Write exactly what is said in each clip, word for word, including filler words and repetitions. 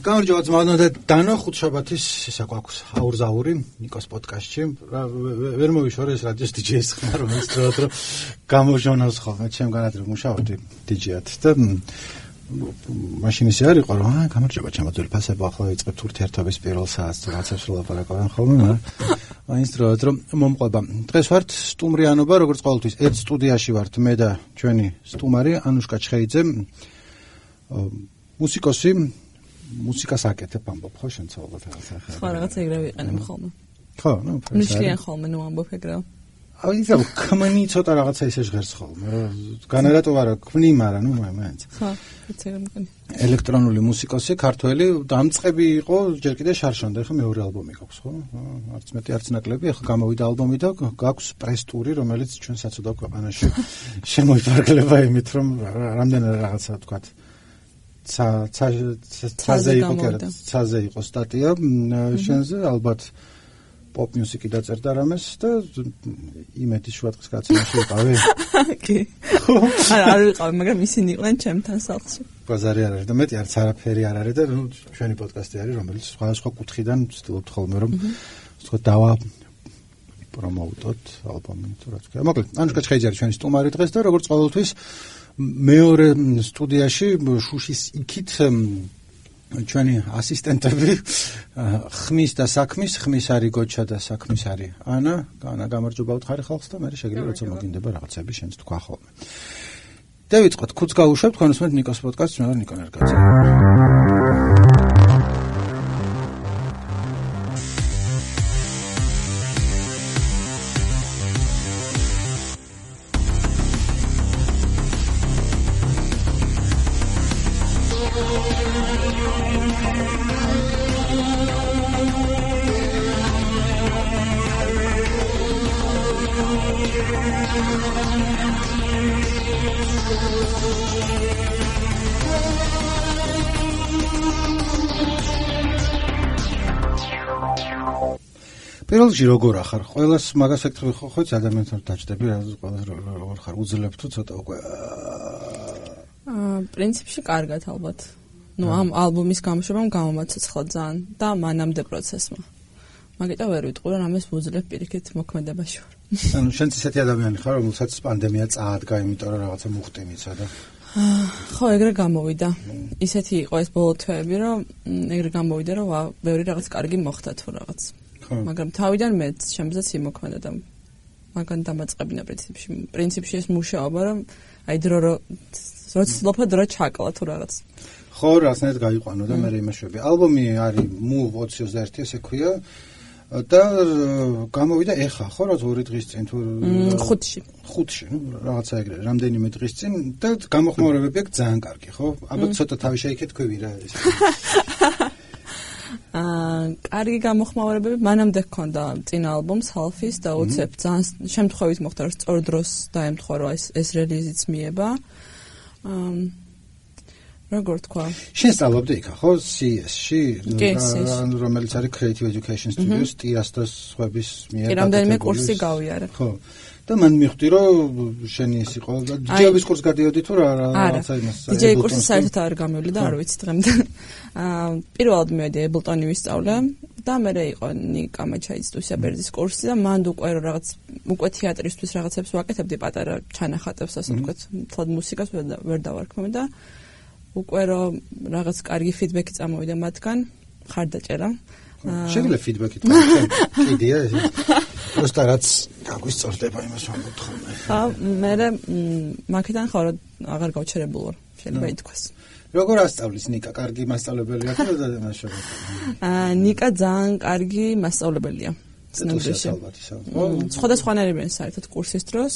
გამარჯობა ძმაო და დანო ხუთშაბათის ისა გვაქვს აურზაური ნიკოს პოდკასტში. ვერ მოვიშორე ეს რადიოს დიჯეის ხმა, რომელიც დროად რომ გამოჟონავს ხოლმე ჩემგანად რომ მუშაობდი დიჯეად და მაშინ ისე არ იყო რომ აა გამარჯობა ჩემო ფასება ახლა იწყებთ ურთიერთობის პირველ საათს თუ რაცებს ვლაპარაკობენ ხოლმე, მაგრამ მაინც დროად რომ მომყვება. დღეს ვართ სტუმრიანობა, როგორც ყოველთვის ერთ სტუდიაში ვართ მე და ჩვენი სტუმარი ანუშკა ჩხეიძე, მუსიკოსი, მუსიკას აკეთებ ამბობ ხო შენ ცალობად რაღაცა ხარ. ხო, რაღაცა ეგრე ვიყენებ ხოლმე. ხო, ნუ ნიშნიან ხოლმე ნუ ამბობ ეგრე. აი ისა კმანი ცოტა რაღაცა ისე ჟღერს ხოლმე. განერატო არა, ქმნი, მაგრამ ნუ მაინც. ხო, ეცე მგონი. ელექტრონული მუსიკოსი, ქართველი, დამწყები იყო, ჯერ კიდე შარშონდა, ხო მეორე ალბომი გაქვს, ხო? არც მეტი არც ნაკლები, ახლა გამოვიდა ალბომი და გაქვს პრეს-ტური, რომელიც ჩვენ საცოდავ ქვეყანაში შემოიფარგლება იმით, რომ რამდენად რაღაცა ვთქვათ ცა ცა ცაზე იყო კერა ცაზე იყო სტატია შენზე ალბათ პოპ მუსიკი დაწერდა რამეს და იმედი შუადღის კაცინაში იყავი კი არა არ ვიყავი მაგრამ ისინი იყვნენ ჩემთან სახლში ბაზარი არ არის და მეტი არც არაფერი არ არის და ჩვენი პოდკასტი არის რომელიც სხვადასხვა კუთხიდან ვცდილობთ ხოლმე რომ ვთქვათ დავა პრომოუტოთ ალბომი თუ რაც ქვია მოკლედ ანუშკა ჩხეიძე არის ჩვენი სტუმარი დღეს და როგორც ყოველთვის მეორე სტუდიაში შუშის იქით ჩვენი ასისტენტები ხმის და საქმის ხმის არის გოჩა და საქმის არის ანა ანა გამარჯობა უთხარი ხალხს და მე შეგიძლია როცა მოგინდება რაღაცები შენც თქვა ხოლმე დავიწყოთ ქუც გაუშვებ თქვენ უსმენთ ნიკოს პოდკასტს მე ვარ ნიკო ნერგაძე პირველში როგორ ახარ? ყველას მაგას ეკითხები ხო ხო ადამიანთან დაჭდები რა როგორ ხარ? უძლებ თუ ცოტა უკვე აა პრინციპში კარგად ალბათ. ნუ ამ ალბომის გამოშვებამ გამომაცოცხლა ძალიან და მანამდე პროცესმა. მაგიტო ვერ ვიტყვი რომ ამას ვუძლებ პირიქით მოქმედებაში ვარ. ანუ შენ ისეთი ადამიანი ხარ რომელსაც პანდემია წაადგა იმიტომ რომ რაღაცა მუხტინიცა და ხო ეგრე გამოვიდა. ისეთი იყო ეს ბოლო თვეები რომ ეგრე გამოვიდა რომ ბევრი რაღაც კარგი მოხდა თუ რაღაც. მაგრამ თავიდან მეც შემზეც იმოქმედა და მაგან დამაწყებინა პრინციპში პრინციპში ეს მუშაობა რომ აი დრო როც ლოფა დრო ჩაკლა თუ რაღაც ხო რაღაცნაირად გაიყვანო და მე იმაშვები ალბომი არის Move ოცი ოცდაერთი ესე ქვია და გამოვიდა ეხა ხო რა ორი დღის წინ თუ ხუთში ხუთში ნუ რაღაცა ეგრე რამდენიმე დღის წინ და გამოხმაურებები აქვს ძალიან კარგი ხო აბა ცოტა თავი შეიქეთ თქვი რა ეს აა კარგი გამოხმაურებები მანამდე ჰქონდა წინა ალბომს Half-ის და უცებ ძალიან შემთხვევით მოხდა რომ სწორ დროს დაემთხვა რომ ეს ეს რელიზიც მიება აა როგორ თქვა შენ სწავლობდი იქა ხო სი ეს-ში რომელიც არის Creative Education Studios ტიას და სხვების მიერ კი რამდენიმე კურსი გავიარე ხო და მან მიხვდი რომ შენი ის იყო და დიჯეის კურსს გადიოდი თუ რა რაღაცა იმას დიჯეი კურსი საერთოდ არ გამივიდა და არ ვიცი დღემდე აა პირველად მივედი Ableton-ი ვისწავლე და მერე იყო ნიკა მაჩაიძის აბერძის კურსი და მანდ უკვე რაღაც უკვე თეატრისთვის რაღაცებს ვაკეთებდი პატარა ჩანახატებს ასე ვთქვათ თლად მუსიკას ვერ დავარქმევ და უკვე რომ რაღაც კარგი ფიდბექი წამოვიდა მათგან ხარდაჭერა შეგვიძლია ფიდბექი თქვა კიდია ეს просто რაც გაგვისწორდება იმას ვამბობთ ხოლმე ხა მე მაგიდან ხო აღარ გავჩერებულ ვარ შეიძლება ითქვას როგორ ასწავლის ნიკა კარგი მასწავლებელია თუ და მასშობი აა ნიკა ძალიან კარგი მასწავლებელია ცნობილია სხვადასხვანაირებიან საერთოდ კურსის დროს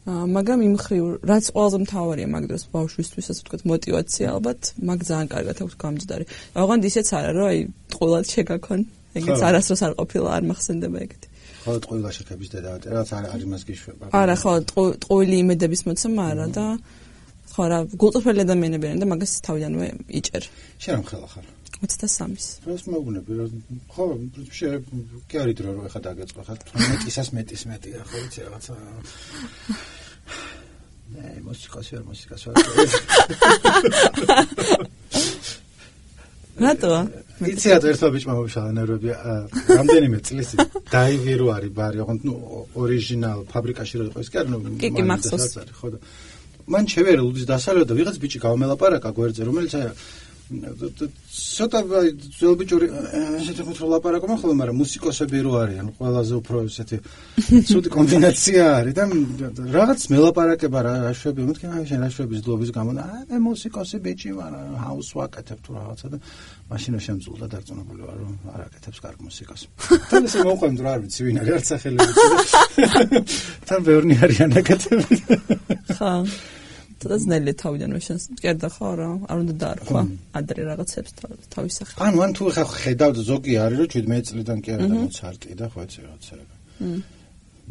მაგრამ იმ ხრივ რაც ყველაზე მთავარია მაგ დროს ბავშვისთვის ასე ვთქვათ мотиваცია ალბათ მაგ ძალიან კარგად აქვს გამჯდარი. ოღონდ ისეც არა რომ აი ტყუილად შეგაქონ. ეგეც არასდროს არ ყოფილა არ მახსენდება ეგეთი. ხო ტყუილა შეკების დედა რაც არ არის მას გიშვება. არა ხო ტყუილი იმედების მოცემა არა და ხო რა გულწრფელი ადამიანები არიან და მაგას თავიდანვე იჭერ. შენ რამ ხელა ხარ? ოცდასამის. რას მოგუნები რომ ხო პრინციპში კი არის დრო რომ ეხა დაგეწყო ხარ მეტისას მეტის მეტია ხო იცი რაღაცა ნე მუსიკას ვერ მუსიკას ვერ რატოა? იცი რატო ერთმა ბიჭმა მოვიშალა ნერვები რამდენიმე წლის დაივირო არის ბარი ოღონდ ნუ ორიგინალ ფაბრიკაში რო იყო ის კი არა ნუ კი მახსოვს ხო და მან შევერე ლუდის დასალევდა და ვიღაც ბიჭი გავმელაპარაკა გვერდზე რომელიც აი ცოტა ძველ ბიჭური ესეთი ხუთრო ლაპარაკობ ხოლმე მაგრამ მუსიკოსები რო არიან ყველაზე უფრო ესეთი ცუდი კომბინაცია არის და რაღაც მელაპარაკება რა შვები მეთქი აი შენ რა შვების დლობის გამო აი მე მუსიკოსი ბიჭი ვარ ჰაუს ვაკეთებ თუ რაღაცა და მაშინა შემწულდა დარწმუნებული ვარ რომ არ აკეთებს კარგ მუსიკას თან ესე მოყვემ რა არ ვიცი ვინ არის არც სახელი თან ბევრი არიან აკეთები ხა თუნდაც ნელი თავიდანვე შენს მკერდა ხო რა არ უნდა დაარქვა ადრე რაღაცებს თავის სახით ანუ ან თუ ხა ხედავ ზოგი არის რომ შვიდმეტ წლიდან კი არა და მოცარტი და ხო ეცე რაღაცა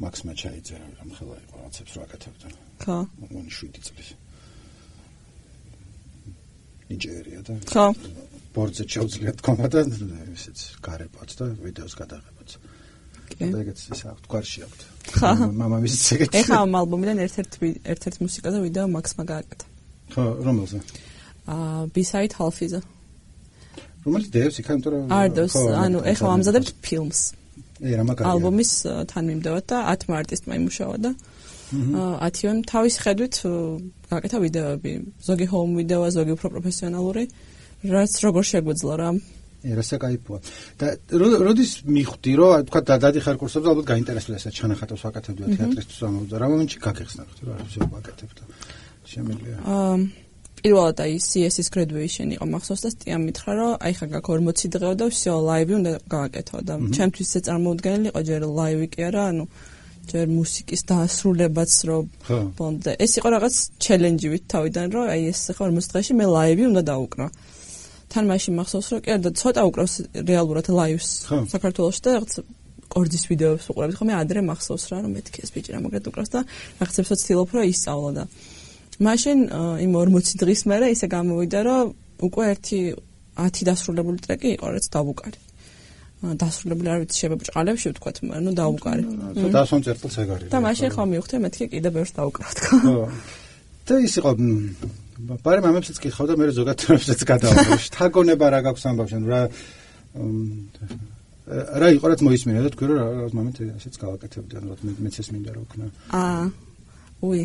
მაქს მაჩაიძე რომ ხელა იყო რაღაცებს რა აკეთებდა ხო მოგონი შვიდი წლის ნიჯერია და ხო ბორდზე ჩაუძლია თქმა და ესეც გარებაც და ვიდეოს გადაღებაც და ეგეც ის აქვს გვარში აქვს ხა მამამისიც ეგეც ეხა ამ ალბომიდან ერთ-ერთი ერთ-ერთი მუსიკა და ვიდეო მაქსმა გააკეთა ხო რომელზე აა B-side half-ზე რომელიც დევს იქა იმიტომ რომ არდოს ანუ ეხა ამზადებთ ფილმს ე რა მაგარია ალბომის თანმიმდევად და ათმა არტისტმა იმუშავა და ათივემ თავის ხედვით გააკეთა ვიდეოები ზოგი home ვიდეოა ზოგი უფრო პროფესიონალური რაც როგორ შეგვეძლო რა ერასა кайფოა და როდის მიხვდი რომ თქვა დადიხარ კურსებზე ალბათ გაინტერესებდა ესა ჩანახატავს ვაკეთებდა თეატრისთვის ამბობდა რა მომენტში გაგეხსნა ხთი რა ისე ვაკეთებდა შემიძლია აა პირველად აი C S-ის graduation იყო მახსოვს და სტიამ მითხრა რომ აი ხა გაქ ორმოცი დღეო და всё ლაივი უნდა გავაკეთო და ჩემთვის ეს წარმოუდგენელი იყო ჯერ ლაივი კი არა ანუ ჯერ მუსიკის დაასრულებაც რომ ბონდე ეს იყო რაღაც ჩელენჯი ვით თავიდან რომ აი ეს ხა ორმოცი დღეში მე ლაივი უნდა დავუკრო თან მაშინ მახსოვს რომ კი არა და ცოტა უკრავს რეალურად ლაივს საქართველოში და რაღაც კორძის ვიდეოებს უყურებთ ხოლმე ადრე მახსოვს რა რომ მეთქი ეს ბიჭი რა მაგრად უკრავს და რაღაცებს ვცდილობ რომ ისწავლო და მაშინ იმ ორმოცი დღის მერე ისე გამოვიდა რომ უკვე ერთი ათი დასრულებული ტრეკი იყო რაც დავუკარი დასრულებული არ ვიცი შებებრჭყალებში ვთქვათ მაგრამ ნუ დავუკარი დასვან წერტილს ეგ არის და მაშინ ხომ მივხვდი მეთქი კიდე ბევრს დავუკრავ თქო და ის იყო ბარი მამებსაც კითხავ და მე ზოგადად თემებსაც გადავაყენებ. შთაგონება რა გაქვს ამბავში, რა რა იყო რაც მოისმინა და თქვი რომ რა მომენტ ესეც გავაკეთებდი, ანუ მეც ეს მინდა რა ვქნა. აა. უი.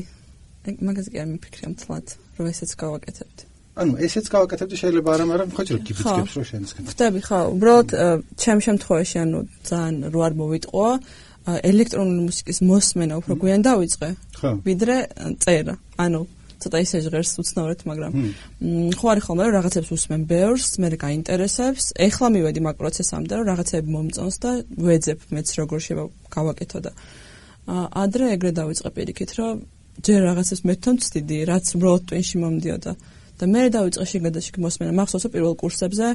მაგაზე კი არ მიფიქრე მთლად, რომ ესეც გავაკეთებდი. ანუ ესეც გავაკეთებდი შეიძლება არა, მაგრამ ხო ჯერ გიბიძგებს რომ შენსკენ. ხვდები ხო, უბრალოდ ჩემ შემთხვევაში ანუ ძალიან რო არ მოვიტყვა ელექტრონული მუსიკის მოსმენა უფრო გვიან დავიწყე, ვიდრე წერა. ანუ ცოტა ისე ჟღერს უცნაურად, მაგრამ ხო არის ხოლმე რომ რაღაცებს უსმენ ბევრს, მე გაინტერესებს. ეხლა მივედი მაგ პროცესამდე, რომ რაღაცები მომწონს და ვეძებ მეც როგორ შეიძლება გავაკეთო და ადრე ეგრე დავიწყე პირიქით, რომ ჯერ რაღაცებს მეთქვა ვცდიდი, რაც უბრალოდ ტვინში მომდიოდა და მე დავიწყე შეგადაშიგ მოსმენა. მახსოვს პირველ კურსებზე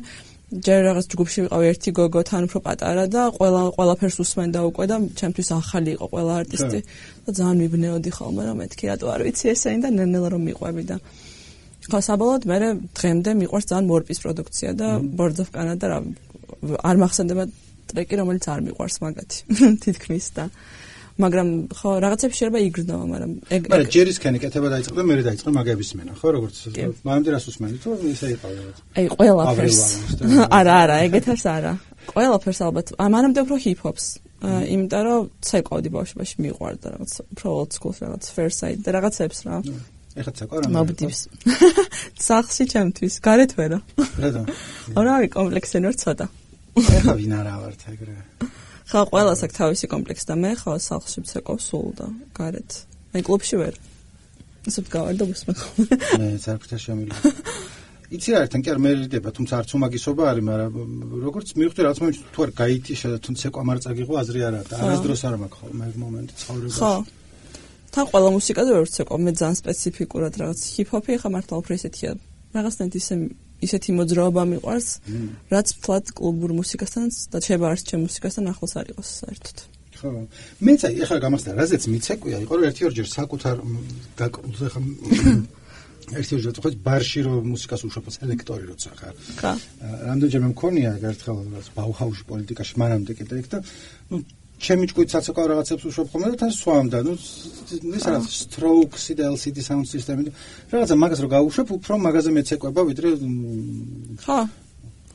ჯერ რაღაც ჯგუფში ვიყავ ერთი გოგო თან უფრო პატარა და ყველა ყველაფერს უსმენდა უკვე და ჩემთვის ახალი იყო ყველა არტისტი და ძალიან მიბნეოდი ხოლმე რომ მეთქი რატო არ ვიცი ესენი და ნელ-ნელა რომ მიყვები და ხო საბოლოოდ მე დღემდე მიყვარს ძალიან მორპის პროდუქცია და Birds of Canada რა არ მახსენდება ტრეკი რომელიც არ მიყვარს მაგათი თითქმის და მაგრამ ხო რაღაცებს შეიძლება იგრძნობა მაგრამ ეგ მაგრამ ჯერისკენი კეთება დაიწყო და მე დაიწყე მაგების მენა ხო როგორც მამამდე რას უსმენდი თუ ისე იყო რაღაც აი ყველაფერს არა არა ეგეთას არა ყველაფერს ალბათ მანამდე უფრო ჰიპ-ჰოპს იმიტომ რომ ცეკვავდი ბავშვობაში მიყვარდა რაღაც უფრო old school რაღაც fair side და რაღაცებს რა ეხლა ცეკვავ რა მობდივს სახში ჩემთვის გარეთ ვერა რატო არა არის კომპლექსი ნორ ცოტა ეხლა ვინ არა ვართ ეგრე ხა ყველას აქვს თავისი კომპლექსი და მე ხო სახლში ვცეკვავ სულ და გარეთ მე კლუბში ვერ ისე გავარდა უსმენ მე ზარფთა შემიძლია იცი რა ერთთან კი არ მერიდება თუმცა არც უმაგისობა არის მაგრამ როგორც მივხვდი რაც მომენტში თუ არ გაითიშა და თუ ცეკვა მარწაგიღო აზრი არა და არასდროს არ მაქვს ხოლმე ეგ მომენტი ცხოვრებაში ხო თან ყველა მუსიკაზე ვერ ვცეკვავ მე ძალიან სპეციფიკურად რაღაც ჰიპ-ჰოპი ხა მართლა უფრო ისეთია რაღაცნაირად ისე ისეთი მოძრაობა მიყვარს, რაც თლად კლუბურ მუსიკასთან და შეიძლება არც ჩემ მუსიკასთან ახლოს არ იყოს საერთოდ. ხო. მეც აი ახლა გამახსნა, რაზეც მიცეკვია, იყო რომ ერთი ორჯერ საკუთარ დაკრულ ხა ერთი ორჯერ ხო ბარში რომ მუსიკას უშופოს ელექტორი როცა ხარ. ხა. რამდენჯერმე მქონია ერთხელ რაღაც ბაუჰაუსში პოლიტიკაში მანამდე კიდე იქ და ნუ ჩემი ჭკუით საცეკვაო რაღაცებს უშופ ხოლმე და თან სვამდა ნუ ის რა Strokes და L C D sound system და რაღაცა მაგას რო გაუშვებ უფრო მაგაზე მეცეკვება ვიდრე ხო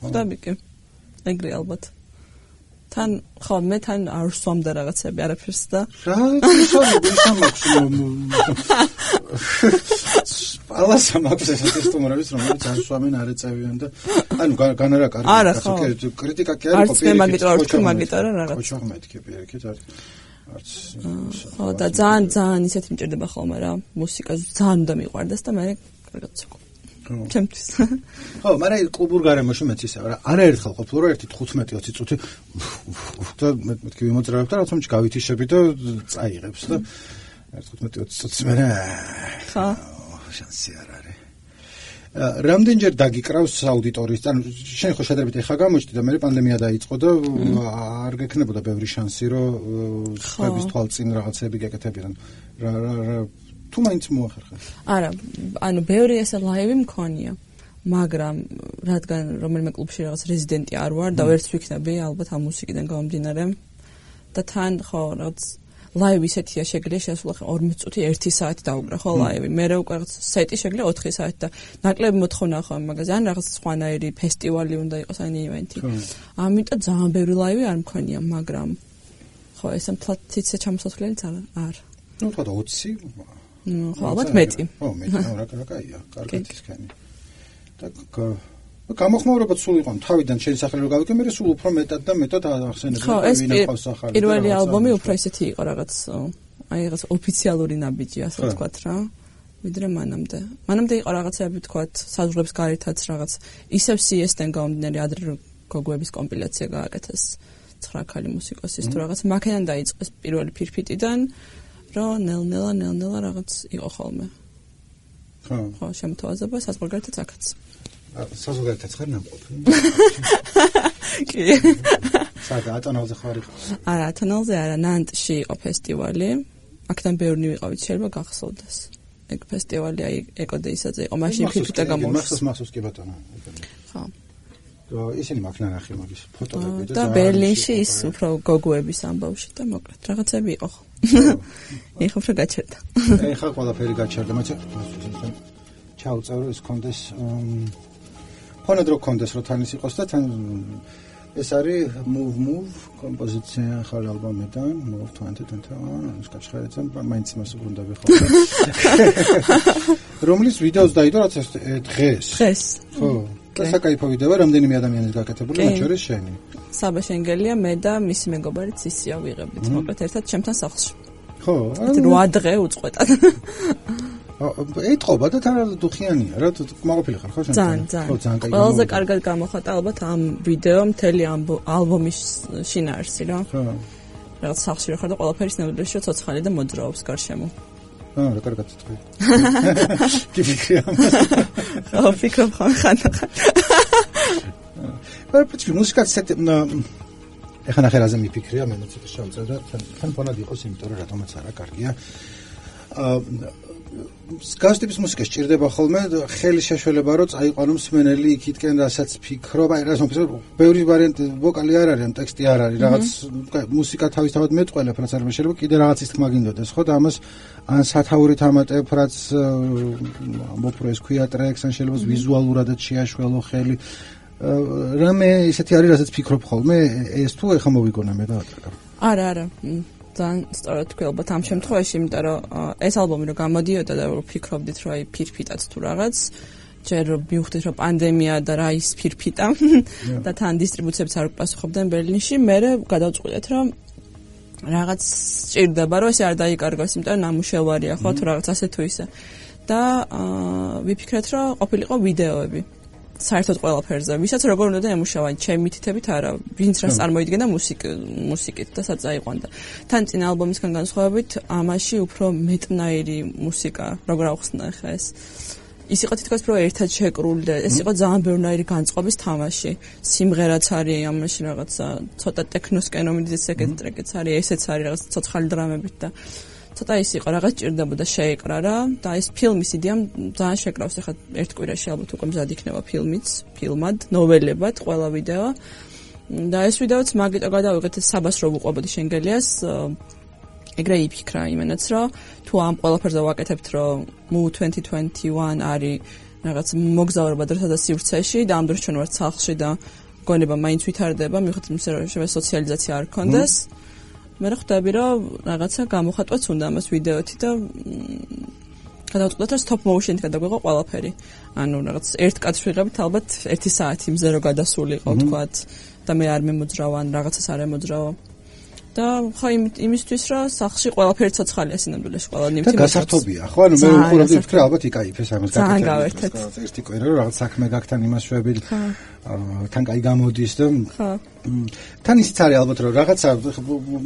ხვდები კი. ეგრე ალბათ. თან ხო მე თან არ სვამდა რაღაცები არაფერს და რა ისწავლე ალასა მაქვს ეს სტუმრების რომელიც არ სვამენ არ ეწევიან და ანუ განარა კარგი კრიტიკა კი არის ყოფილი. არც მე მაგიტო არ ვთქვი მაგიტო რა რაღაც. ხო მეთქი პირიქით არის არც ხო და ძალიან ძალიან ისეთი მჭირდება ხოლმე რა მუსიკა ძალიან უნდა მიყვარდეს და მე კარგად ვცოქ. ჩემთვის. ხო, მაგრამ კლუბურ გარემოში მეც ისე რა. არაერთხელ ყოფილი რომ ერთი თხუთმეტი ოცი წუთი და მეთქი ვიმოძრავებ და რაღაცა გავითიშები და წაიღებს და თხუთმეტი ოცი წუთი მე ხო, შანსი არ არის. რამდენჯერ დაგიკრავს აუდიტორიის, ანუ შენ ხო შედარებით ეხა გამოჩდი და მე პანდემია დაიწყო და არ გექნებოდა ბევრი შანსი რომ სხვების თვალწინ რაღაცები გეკეთებიან. რა რა თუ მაინც მოახერხა. არა, ანუ ბევრი ესე ლაივი მქონია, მაგრამ რადგან რომელიმე კლუბში რაღაც რეზიდენტი არ ვარ და ვერც ვიქნები ალბათ ამ მუსიკიდან გამომდინარე და თან ხო რაღაც ლაივი ისეთია შეგიძლია შესვლა ორმოც წუთი ერთი საათი დაუკრა ხო ლაივი. მე რა უკვე რაღაც სეტი შეგიძლია ოთხი საათი და ნაკლები მოთხოვნა ხო მაგაზე ან რაღაც სხვანაირი ფესტივალი უნდა იყოს ან ივენთი. ამიტომ ძალიან ბევრი ლაივი არ მქონია, მაგრამ ხო ესე მთლად ციცე ჩამოსასვლელი ძალიან არ. ნუ თქვა ოცი ნუ ხო ალბათ მეტი. ხო მეტი, რა რა კაია, კარგად ისქენი. და გამოხმაურებად სულ იყო თავიდან შენი სახელი რო გავიქე, მე სულ უფრო მეტად და მეტად ახსენებდი ვინახავს ახალი. პირველი ალბომი უფრო ისეთი იყო რაღაც აი რაღაც ოფიციალური ნაბიჯი ასე ვთქვათ რა. ვიდრე მანამდე. მანამდე იყო რაღაცები ვთქვათ საზღვრებს გარეთაც რაღაც ისევ სი ეს-დან გამომდინარე ადრე გოგოების კომპილაცია გააკეთეს ცხრა ქალი მუსიკოსის თუ რაღაც მაქედან დაიწყეს პირველი ფირფიტიდან რომ ნელ-ნელა ნელ-ნელა რაღაც იყო ხოლმე. ხო. ხო, შემოთავაზება საზღვარგარეთაც აქაც. საზღვარგარეთაც ხარ ნამყოფი. კი. სადა ატანალზე ხარ იყო? არა, ატანალზე არა, ნანტში იყო ფესტივალი. აქედან ბევრი ვიყავით, შეიძლება გახსოვდეს. ეგ ფესტივალი აი ეკოდეისაზე იყო, მაშინ ფიფიტა გამოუშვა. მახსოვს, მახსოვს კი ბატონო. ხო. და ისინი მაქვს ნახე მაგის ფოტოები და ბერლინში ის უფრო გოგოების ამბავში და მოკლედ რაღაცები იყო. ეხლა უფრო გაჩერდა. ეხლა ყველაფერი გაჩერდა, მაგრამ ჩაუწევრო ის კონდეს ფონოდრო კონდეს რო თან ის იყოს და თან ეს არის move move კომპოზიცია ხარ ალბომიდან move twenty twenty ის გაჩერდა მაინც იმას უბრუნდები ხო რომლის ვიდეოს დაიდო რაც დღეს დღეს ხო და საკაიფო ვიდეო რამდენიმე ადამიანის გაკეთებული მათ შორის შენი საბა შენგელია მე და მისი მეგობარი ცისია ვიღებით მოკლედ ერთად ჩემთან სახლში ხო რვა დღე უწყვეტად ეთყობა და თან დუხიანია რა მოყოფილი ხარ ხო შენ ხო ძალიან კაი ყველაზე კარგად გამოხატა ალბათ ამ ვიდეო მთელი ალბომის შინაარსი რა ხო რაღაც სახლში რა ხარ და ყველაფერი სნეულებშია ცოცხალი და მოძრაობს გარშემო აა რა კარგად თქვი კი ფიქრია ხო ფიქრობ ხან ხან მაგრამ პიჩი მუსიკაც ეხლა ნახე რაზე მიფიქრია მე ცოტა შევწერ და თან ფონად იყოს იმიტომ რომ რატომაც არა კარგია აა გასტიპის მუსიკა სჭირდება ხოლმე ხელი შეშველება რომ წაიყვანო მსმენელი იქითკენ რასაც ფიქრობ აი რა თქმა უნდა ბევრი ვარიანტი ვოკალი არ არის ან ტექსტი არ არის რაღაც მუსიკა თავისთავად მეტყველებ რაც არ შეიძლება კიდე რაღაცის თქმა გინდოდეს ხო და ამას ან სათაურით ამატებ რაც მოფროს ქვია ტრეკს ან შეიძლება ვიზუალურადაც შეაშველო ხელი რამე ისეთი არის რასაც ფიქრობ ხოლმე ეს თუ ეხა მოვიგონა მე და ატაკა არა არა ძალიან სწორად თქვი ალბათ ამ შემთხვევაში, იმიტომ რომ ეს ალბომი რომ გამოდიოდა და ვფიქრობდით რომ აი ფირფიტაც თუ რაღაც, ჯერ მივხვდით რომ პანდემია და რა ის ფირფიტა და თან დისტრიბუციებიც არ უპასუხობდნენ ბერლინში, მე გადავწყვიტეთ რომ რაღაც სჭირდება რომ ესე არ დაიკარგოს, იმიტომ რომ ნამუშევარია ხო თუ რაღაც ასე თუ ისე. და ვიფიქრეთ რომ ყოფილიყო ვიდეოები. საერთოდ ყველაფერზე, ვისაც როგორ უნდა ემუშავა, ჩემი მითითებით არა, ვინც რას წარმოიდგენდა მუსიკ მუსიკით და საწაიყვანდა. თან წინა ალბომისგან განსხვავებით, ამაში უფრო მეტნაირი მუსიკა, როგორ ავხსნა ხა ეს. ის იყო თითქოს უფრო ერთად შეკრული და ეს იყო ძალიან ბევრნაირი განწყობის თამაში. სიმღერაც არის ამაში რაღაცა, ცოტა ტექნოსკენ მომიდის ეგეთ ტრეკიც არის, ესეც არის რაღაც ცოცხალი დრამებით და ცოტა ის იყო რაღაც ჭირდებოდა შეეკრა რა და ეს ფილმის იდეამ ძალიან შეკრავს ახლა ერთ კვირაში ალბათ უკვე მზად იქნება ფილმიც, ფილმად, ნოველებად, ყველა ვიდეო. და ეს ვიდეოც მაგიტო გადავიღეთ საბას რო ვუყვებოდი შენგელიას. ეგრე იფიქრა იმენაც რომ თუ ამ ყველაფერზე ვაკეთებთ რომ Move twenty twenty-one არის რაღაც მოგზაურობა დროთა და სივრცეში და ამ დროს ჩვენ ვართ სახლში და გონება მაინც ვითარდება, მიუხედავად იმისა, რომ შეიძლება სოციალიზაცია არ ქონდეს. მე ხვდები, რომ რაღაცა გამოხატვაც უნდა ამას ვიდეოთი და გადავწყვეტ, რომ stop motion-ით გადაგვეღო ყველაფერი. ანუ რაღაც ერთ კადრს ვიღებთ, ალბათ ერთი საათი მზე რო გადასული იყო, თქვათ, და მე არ მემოძრავ ან რაღაცას არ ემოძრავ. და ხო იმისთვის რომ სახში ყველაფერი ცოცხალია სინამდვილეში ყველა ნივთი და გასართობია ხო ანუ მე უყურებდი ვფიქრე ალბათ იკაიფეს ამას გაკეთეთ ერთი კვირა რომ რაღაც საქმე გაქთან იმას შვები თან კაი გამოდის და ხო თან ისიც არის ალბათ რომ რაღაცა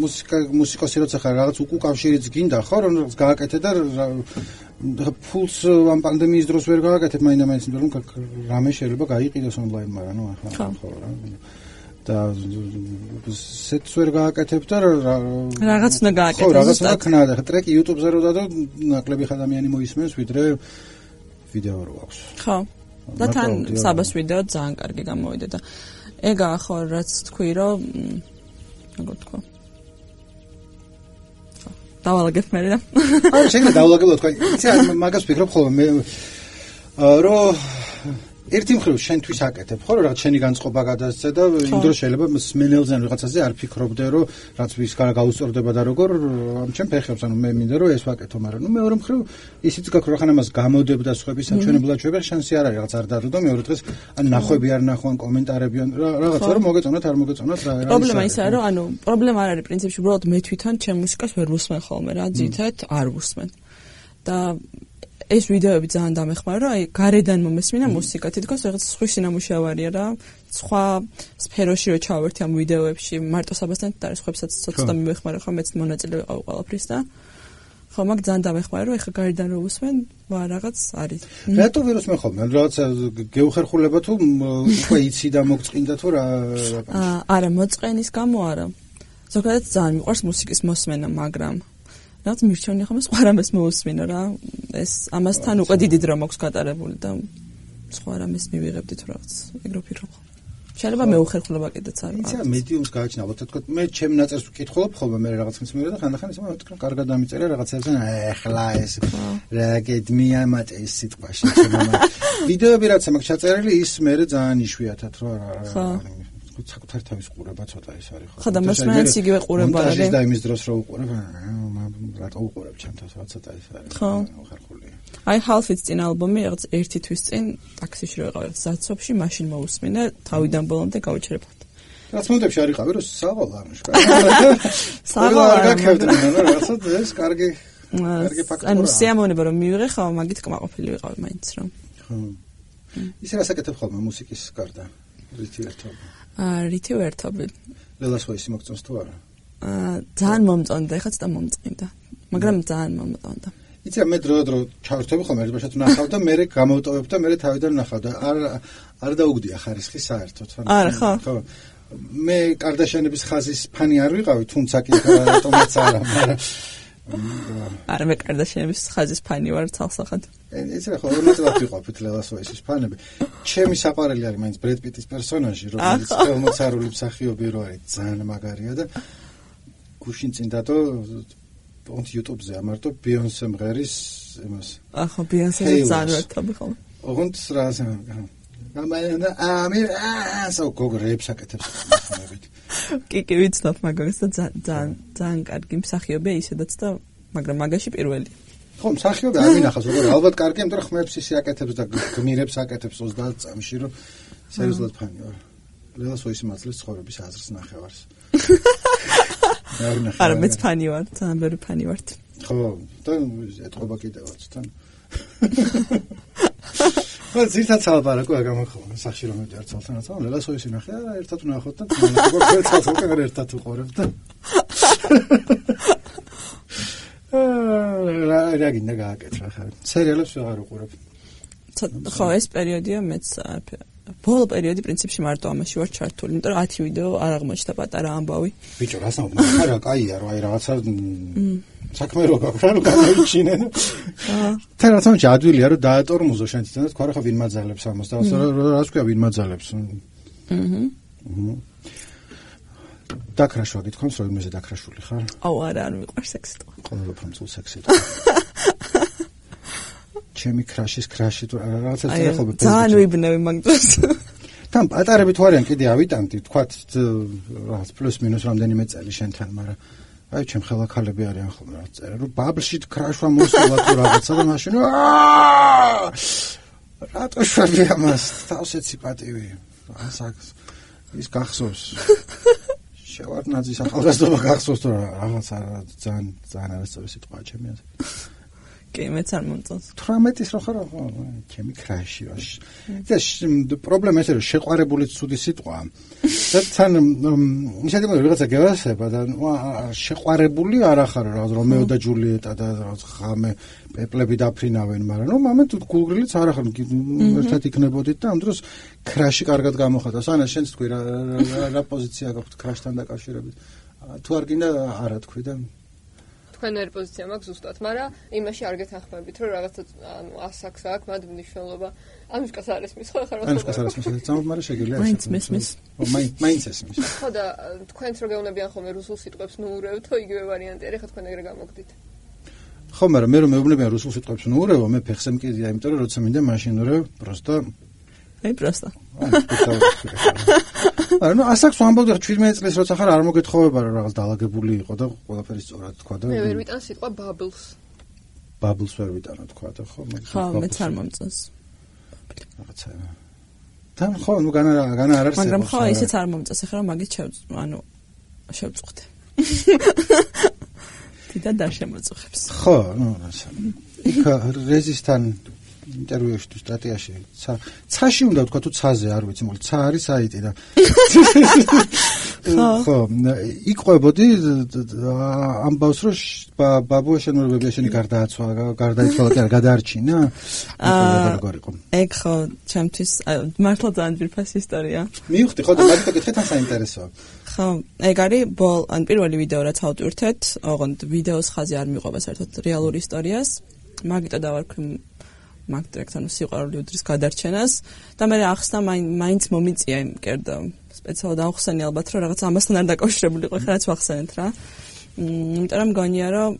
მუსიკა მუსიკოსი როცა ხარ რაღაც უკავშირიც გინდა ხო რომ რაღაც გააკეთე და ფულს ამ პანდემიის დროს ვერ გააკეთებ მაინდა-მაინც იმიტომ რომ რამე შეიძლება გაიყიდოს ონლაინ მაგრამ ნუ ახლა ხო რა და სეტს ვერ გააკეთებ და რაღაც უნდა გააკეთო. ხო, რაღაც უნდა ქნა და ტრეკი YouTube-ზე რო დადო, ნაკლები ადამიანი მოისმენს, ვიდრე ვიდეო რო აქვს. ხო. და თან საბას ვიდეო ძალიან კარგი გამოვიდა და ეგა ხო რაც თქვი რომ როგორ თქვა. დავალაგებ მე რა. არა, შეიძლება დავალაგებო თქვა. იცი მაგას ვფიქრობ ხოლმე მე რომ ერთი მხრივ შენთვის აკეთებ ხო რომ რაღაც შენი განწყობა გადასცე და იმ დროს შეიძლება სმენელზე ან რაღაცაზე არ ფიქრობდე რომ რაც ვის გარა გაუსწორდება და როგორ ამ ჩემ ფეხებს ანუ მე მინდა რომ ეს ვაკეთო მაგრამ ნუ მეორე მხრივ ისიც გაქვს რომ ხან ამას გამოდებ და სხვების საჩვენებლად შევერ შანსი არ არის რაღაც არ დადო და მეორე დღეს ან ნახვები არ ნახვან კომენტარები ან რაღაცა რომ მოგეწონათ არ მოგეწონათ რა პრობლემა ისაა რომ ანუ პრობლემა არ არის პრინციპში უბრალოდ მე თვითონ ჩემ მუსიკას ვერ ვუსმენ ხოლმე რა ძირითადად არ ვუსმენ და ეს ვიდეოები ძალიან დამეხმარა, რომ აი გარედან მომესმინა მუსიკა, თითქოს რაღაც სხვისი სინამუშევარია რა, სხვა სფეროში რო ჩავერთი ამ ვიდეოებში, მარტო საბასთან და სხვებსაც ცოტა მიმეხმარა, ხო მეც მონაწილე ვიყავ ყველაფრის და ხო მაგ ძალიან დამეხმარა, რომ ეხა გარედან რო უსმენ, ვა რაღაც არის. რატო ვერ უსმენ ხოლმე? რაღაც გეუხერხულება თუ უკვე იცი და მოგწყინდა თუ რა აა არა, მოწყენის გამო არა. ზოგადად ძალიან მიყვარს მუსიკის მოსმენა, მაგრამ რაც მირჩევნია ხომ სხვა რამეს მოусმინო რა ეს ამასთან უკვე დიდი დრო მაქვს გატარებული და სხვა რამეს მივიღებდი თუ რაღაც ეგრო ფიქრობ შეიძლება მე უხერხულობა კიდეც არის იცი მედიუმს გააჩინა ალბათ თქვა მე ჩემ ნაწერს ვკითხულობ ხოლმე მე რაღაც ხნის მერე და ხანდახან ისე მეთქვა კარგად დამიწერე რაღაცებზე ეხლა ეს რა გედმია მათ ეს სიტყვაში ვიდეოები რაც მაქვს ჩაწერილი ის მე ძალიან იშვიათად რა რა საკუთარ თავის ყურება ცოტა ის არის ხო ხო და მოსმენაც იგივე ყურება არის და იმის დროს რო უყურებ რატო უყურებ ჩემ თავს რა ცოტა ის არის ხო ხარხულია აი half-its წინ ალბომი რაღაც ერთი თვის წინ ტაქსიში რო ვიყავი ზაცოფში მაშინ მოусმინე თავიდან ბოლომდე გავიჩერებოდ რაც მომდებში არ იყავი რომ საღოლა არ მშკარა საღოლა არ გაკეთდა რაღაცა ეს კარგი კარგი ფაქტია ანუ სიამოვნება რომ მივიღე ხო მაგით კმაყოფილი ვიყავი მაინც რომ ხო ის რა საკეთებ ხოლმე მუსიკის გარდა რითი ერთობა აა რითი ერთობა ლელას ვაისი მოგწონს თუ არა აა ძალიან მომწონდა ეხლა ცოტა მომწყინდა მაგრამ ძალიან მომწონდა იცი მე დრო დრო ჩავერთები ხოლმე ერთბაშად ნახავ და მე გამოვტოვებ და მე თავიდან ნახავ და არ არ დაუგდია ხარისხი საერთოდ არა ხო ხო მე კარდაშიანების ხაზის ფანი არ ვიყავი თუმცა კი რატომაც არა მაგრამ არა მე კარდაშიანების ხაზის ფანი ვარ ცალსახად იცი რა ხო ორნაწილად ვიყოფით ლელას ვაისის ფანები ჩემი საყვარელი არის მაინც ბრედ პიტის პერსონაჟი რომელიც ხელმოცარული მსახიობი რო არის ძალიან მაგარია და გუშინ წინ დადო on YouTube-ზე ამარტო ბიონსე მღერის იმას ახო ბიონსე ძალიან ვერთობი ხოლმე ოღონდ რას გამაინა ამი ასო გოგრებს აკეთებს ხმებით კი კი ვიცნობ მაგას და ძალიან ძალიან კარგი მსახიობია ისედაც და მაგრამ მაგაში პირველი ხო მსახიობი არ მინახავს როგორ ალბათ კარგი იმიტომ რომ ხმებს ისე აკეთებს და გმირებს აკეთებს ოცდაათ წამში რომ სერიოზულად ფანი ვარ ლელას ვაისი მაცლის ცხოვრების აზრს ნახევარს არა მეც ფანი ვარ ძალიან ბევრი ფანი ვარ ხო და ეთყობა კიდევაც თან ხო ზირთაც ალბარაკო გამახო სახში რომ მივდივარ ცალთანაც ლელას ვაისი ნახე არა ერთად ვნახოთ და თქვენ ცალთანაც არა ერთად უყურებ და რა რა გინდა გააკეთე ხარ სერიალებს ვეღარ უყურებ ხო ეს პერიოდია მეც ბოლო პერიოდი პრინციპში მარტო ამაში ვარ ჩართული იმიტომ რომ ათი ვიდეო არ აღმოჩნდა პატარა ამბავი ბიჭო რას ამბობ არა კაია რა აი რაღაცა საქმე რო გაქვს რა გამოიჩინე თან რა თქმა უნდა ადვილია რომ დაატორმუზო შენ თვითონ და თქვა რა ხო ვინ მაძალებს ამას და რას ქვია ვინ მაძალებს აჰა დაქრაშვა გითხოვს რომ იმეზე დაქრაშული ხარ აუ არა არ მიყვარს სექსი თქვა ყველა ფრანცულ სექსი ჩემი ქრაშის ქრაში თუ რაღაცა წერე ხოლმე ძალიან ვიბნევი მაგ დროს თან პატარები თუ არიან კიდე ავიტანდი თქვათ რაღაც პლუს მინუს რამდენიმე წელი შენთან მაგრამ აი ჩემ ხელახალები არიან ხოლმე რაღაც წერე რომ ბაბლში ქრაშვა მოსულა თუ რაღაცა და მაშინ აა რატო შვები ამას თავსეცი პატივი ასაკს ის გახსოვს შევარდნაძის ახალგაზრდობა გახსოვს თუ რაღაც ძალიან ძალიან არასწორი სიტყვაა ჩემი აზრით კი მეც არ მომწონს თვრამეტის რო ხარ ჩემი ქრაში ვაში და პრობლემა ეს რომ შეყვარებულიც ცუდი სიტყვაა და თან ისეთი რაღაცა გევასება და შეყვარებული არ ახარ რაღაც რომეო და ჯულიეტა და რაღაც ხამე პეპლები დაფრინავენ მაგრამ ნუ მომენტ გულგრილიც არ ახარ ერთად იქნებოდით და ამ დროს ქრაში კარგად გამოხატავს ანა შენც თქვი რა რა პოზიცია გაქვთ ქრაშთან დაკავშირებით თუ არ გინდა არა თქვი და თქვენ ვერ პოზიცია მაქვს ზუსტად, მაგრამ იმაში არ გეთანხმებით, რომ რაღაცა ანუ ასაკს აქვს, მათ მნიშვნელობა. ანუშკას არ ესმის, ხო, ხარ რა? ანუშკას არ ესმის, ძამობ, მაგრამ შეგიძლია. მაინც მესმის. მაინც ესმის. ხო და თქვენც რო გეუბნებიან ხოლმე რუსულ სიტყვებს ნუურევ, თო იგივე ვარიანტი არის, ხო თქვენ ეგრე გამოგდით. ხო, მაგრამ მე რომ მეუბნებიან რუსულ სიტყვებს ნუურევ, მე ფეხზე მკიდია, იმიტომ რომ როცა მინდა მაშინ ნუურევ, просто აი, просто. არა, ნუ ასაკს ვამბობდი, შვიდმეტი წლის როცა ხარ არ მოგეთხოვება რომ რაღაც დაალაგებული იყო და ყველაფერი სწორად თქვა და მე ვერ ვიტან სიტყვა bubbles. bubbles ვერ ვიტანა თქვა და ხო, ხო, მეც არ მომწონს. რაღაცა. თან ხო, ნუ განა განა არ არსებობს. მაგრამ ხო, ისეც არ მომწონს, ახლა მაგით შევ, ანუ შევწუხდე. თვითონ და შემოწუხებს. ხო, ნუ რაცა. იქ რეზისთან ინტერვიუში თუ სტატიაში ცა ცაში უნდა ვთქვა თუ ცაზე არ ვიცი მოკლედ ცა არის საიტი და ხო იყვებოდი ამბავს რომ ბაბუა შენურებებია შენი გარდააცვა გარდაიცვალა და გადაარჩინა როგორ იყო ეგ ხო ჩემთვის მართლა ძალიან ძვირფასი ისტორია მივხვდი ხო და მაგით აკითხე თან საინტერესოა ხო ეგ არის ბოლ ან პირველი ვიდეო რაც ავტვირთეთ ოღონდ ვიდეოს ხაზი არ მიყვება საერთოდ რეალური ისტორიას მაგიტო დავარქვი მაგ ტრეკთან სიყვარული უდრის გადარჩენას და მე ახსნა მაინც მომიწია იმ კერდა სპეციალურად ახსენე ალბათ რომ რაღაც ამასთან არ დაკავშირებული იყო ხა რაც ვახსენეთ რა იმიტომ რომ გონია რომ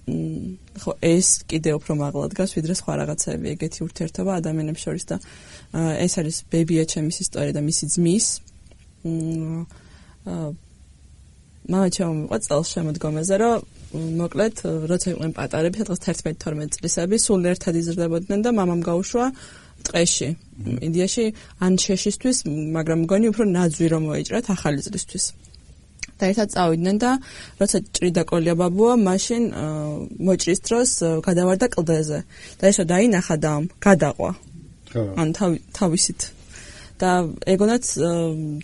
ხო ეს კიდე უფრო მაღლა დგას ვიდრე სხვა რაღაცები ეგეთი ურთიერთობა ადამიანებს შორის და ეს არის ბებია ჩემის ისტორია და მისი ძმის მამა ჩემო წელს შემოდგომაზე რომ მოკლედ როცა იყვნენ პატარები სადღაც თერთმეტი თორმეტი წლისები სულ ერთად იზრდებოდნენ და მამამ გაუშვა ტყეში ინდიაში ანჩეშისთვის მაგრამ მგონი უფრო ნაძვი რომ მოეჭრათ ახალი წლისთვის და ერთად წავიდნენ და როცა ჭრიდა კოლია ბაბუა მაშინ მოჭრის დროს გადავარდა კლდეზე და ესო დაინახა და გადაყვა ან თავისით და ეგონაც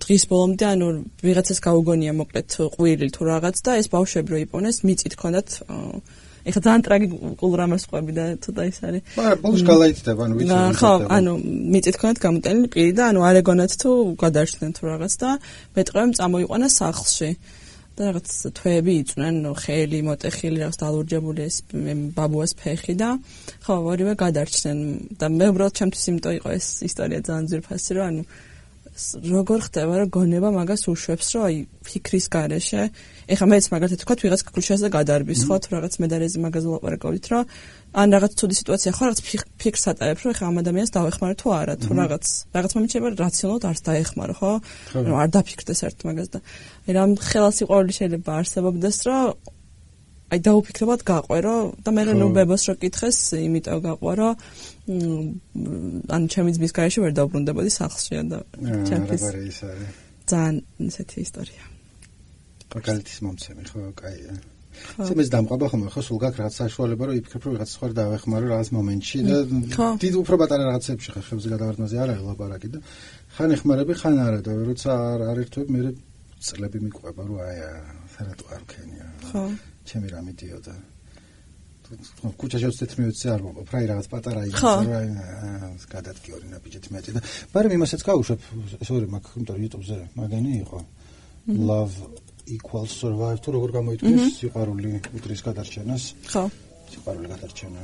დღის ბოლომდე ანუ ვიღაცას გაუგონია მოკლედ ყვირილი თუ რაღაც და ეს ბავშვები რო იპოვნეს მიწით ქონდათ ეხლა ძალიან ტრაგიკულ რამას ყვები და ცოტა ის არის მაგრამ ბოლოს გალაიწდება ანუ ვიცი ხო ანუ მიწით ქონდათ გამოტენილი პირი და ანუ არ ეგონათ თუ გადარჩნენ თუ რაღაც და მეტყვემ წამოიყვანა სახლში და რაღაც თვეები იწვნენ ხელი მოტეხილი რაღაც დალურჯებული ეს ბაბუას ფეხი და ხო ორივე გადარჩნენ და მე უბრალოდ ჩემთვის იმიტომ იყო ეს ისტორია ძალიან ძვირფასი რომ ანუ როგორ ხდება რომ გონება მაგას უშვებს რომ აი ფიქრის გარეშე ეხლა მეც მაგალითად თქვა ვიღაც ქუჩაზე გადარბის ხო თუ რაღაც მედარეზი მაგაზე ლაპარაკობთ რომ ან რაღაც ცუდი სიტუაცია ხო რაღაც ფიქრს ატარებ რომ ეხლა ამ ადამიანს დავეხმარო თუ არა თუ რაღაც რაღაც მომიჩება რაციონალურად არც დაეხმარო ხო რომ არ დაფიქრდეს ერთ მაგას და აი რამ ხელასიყვარული შეიძლება არსებობდეს რომ აი დაუფიქრებად გაყვერო და მე ნუ ბებოს რო კითხეს იმიტომ გაყვა რომ ან ჩემი ძმის გარეშე ვერ დავბრუნდებოდი სახლში და ჩემთვის ძალიან ისეთი ისტორია კაკალეთის მომცემი ხო კაია ცემეს დამყობა ხომ ხო სულ გაქვს რაღაც საშუალება რომ იფიქრებ რომ ვიღაც სხვა დავეხმარო რაღაც მომენტში და დიდ უფრო პატარა რაღაცებში ხარ ხებზე გადავარდნაზე არ არის ლაპარაკი და ხან ეხმარები ხან არა და როცა არ ერთვებ მე წლები მიყვება რომ აი სერატო არ ქენია ხო ჩემი რა მიდიოდა ქუჩაში ოცდაათი მინუტზე არ მომყოფ რა რაღაც პატარა იმას რა გადადგი ორი ნაბიჯით მეტი და მაგრამ იმასაც გავუშვებ სორი მაგ იმიტომ YouTube-ზე მაგენი იყო love equals survive თუ როგორ გამოიწვევს სიყვარული უდრის გადარჩენას ხო სიყვარული გადარჩენა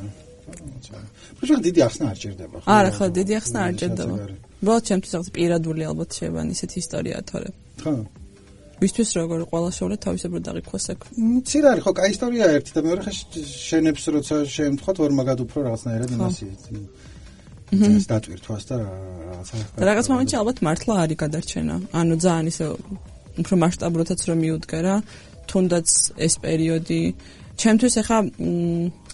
პროექტი დიდი ახსნა არ ჭირდება ხო არა ხო დიდი ახსნა არ ჭირდება უბრალოდ ჩემთვის რაღაც პირადული ალბათ შევა ისეთი ისტორიაა თორე ხო ვისთვის როგორ ყველა შეუძლია თავისებურად დაღიქოს აქ მცირე არის ხო კაი ისტორია ერთი და მეორე ხე შენებს როცა შემთხვათ ვერ მაგად უფრო რაღაცნაირად იმასი ეს დატვირთვას და რაღაცა. და რაღაც მომენტში ალბათ მართლა არის გადარჩენა. ანუ ძალიან ისე უფრო მასშტაბურადაც რომ მიუდგე რა, თუნდაც ეს პერიოდი ჩემთვის ახლა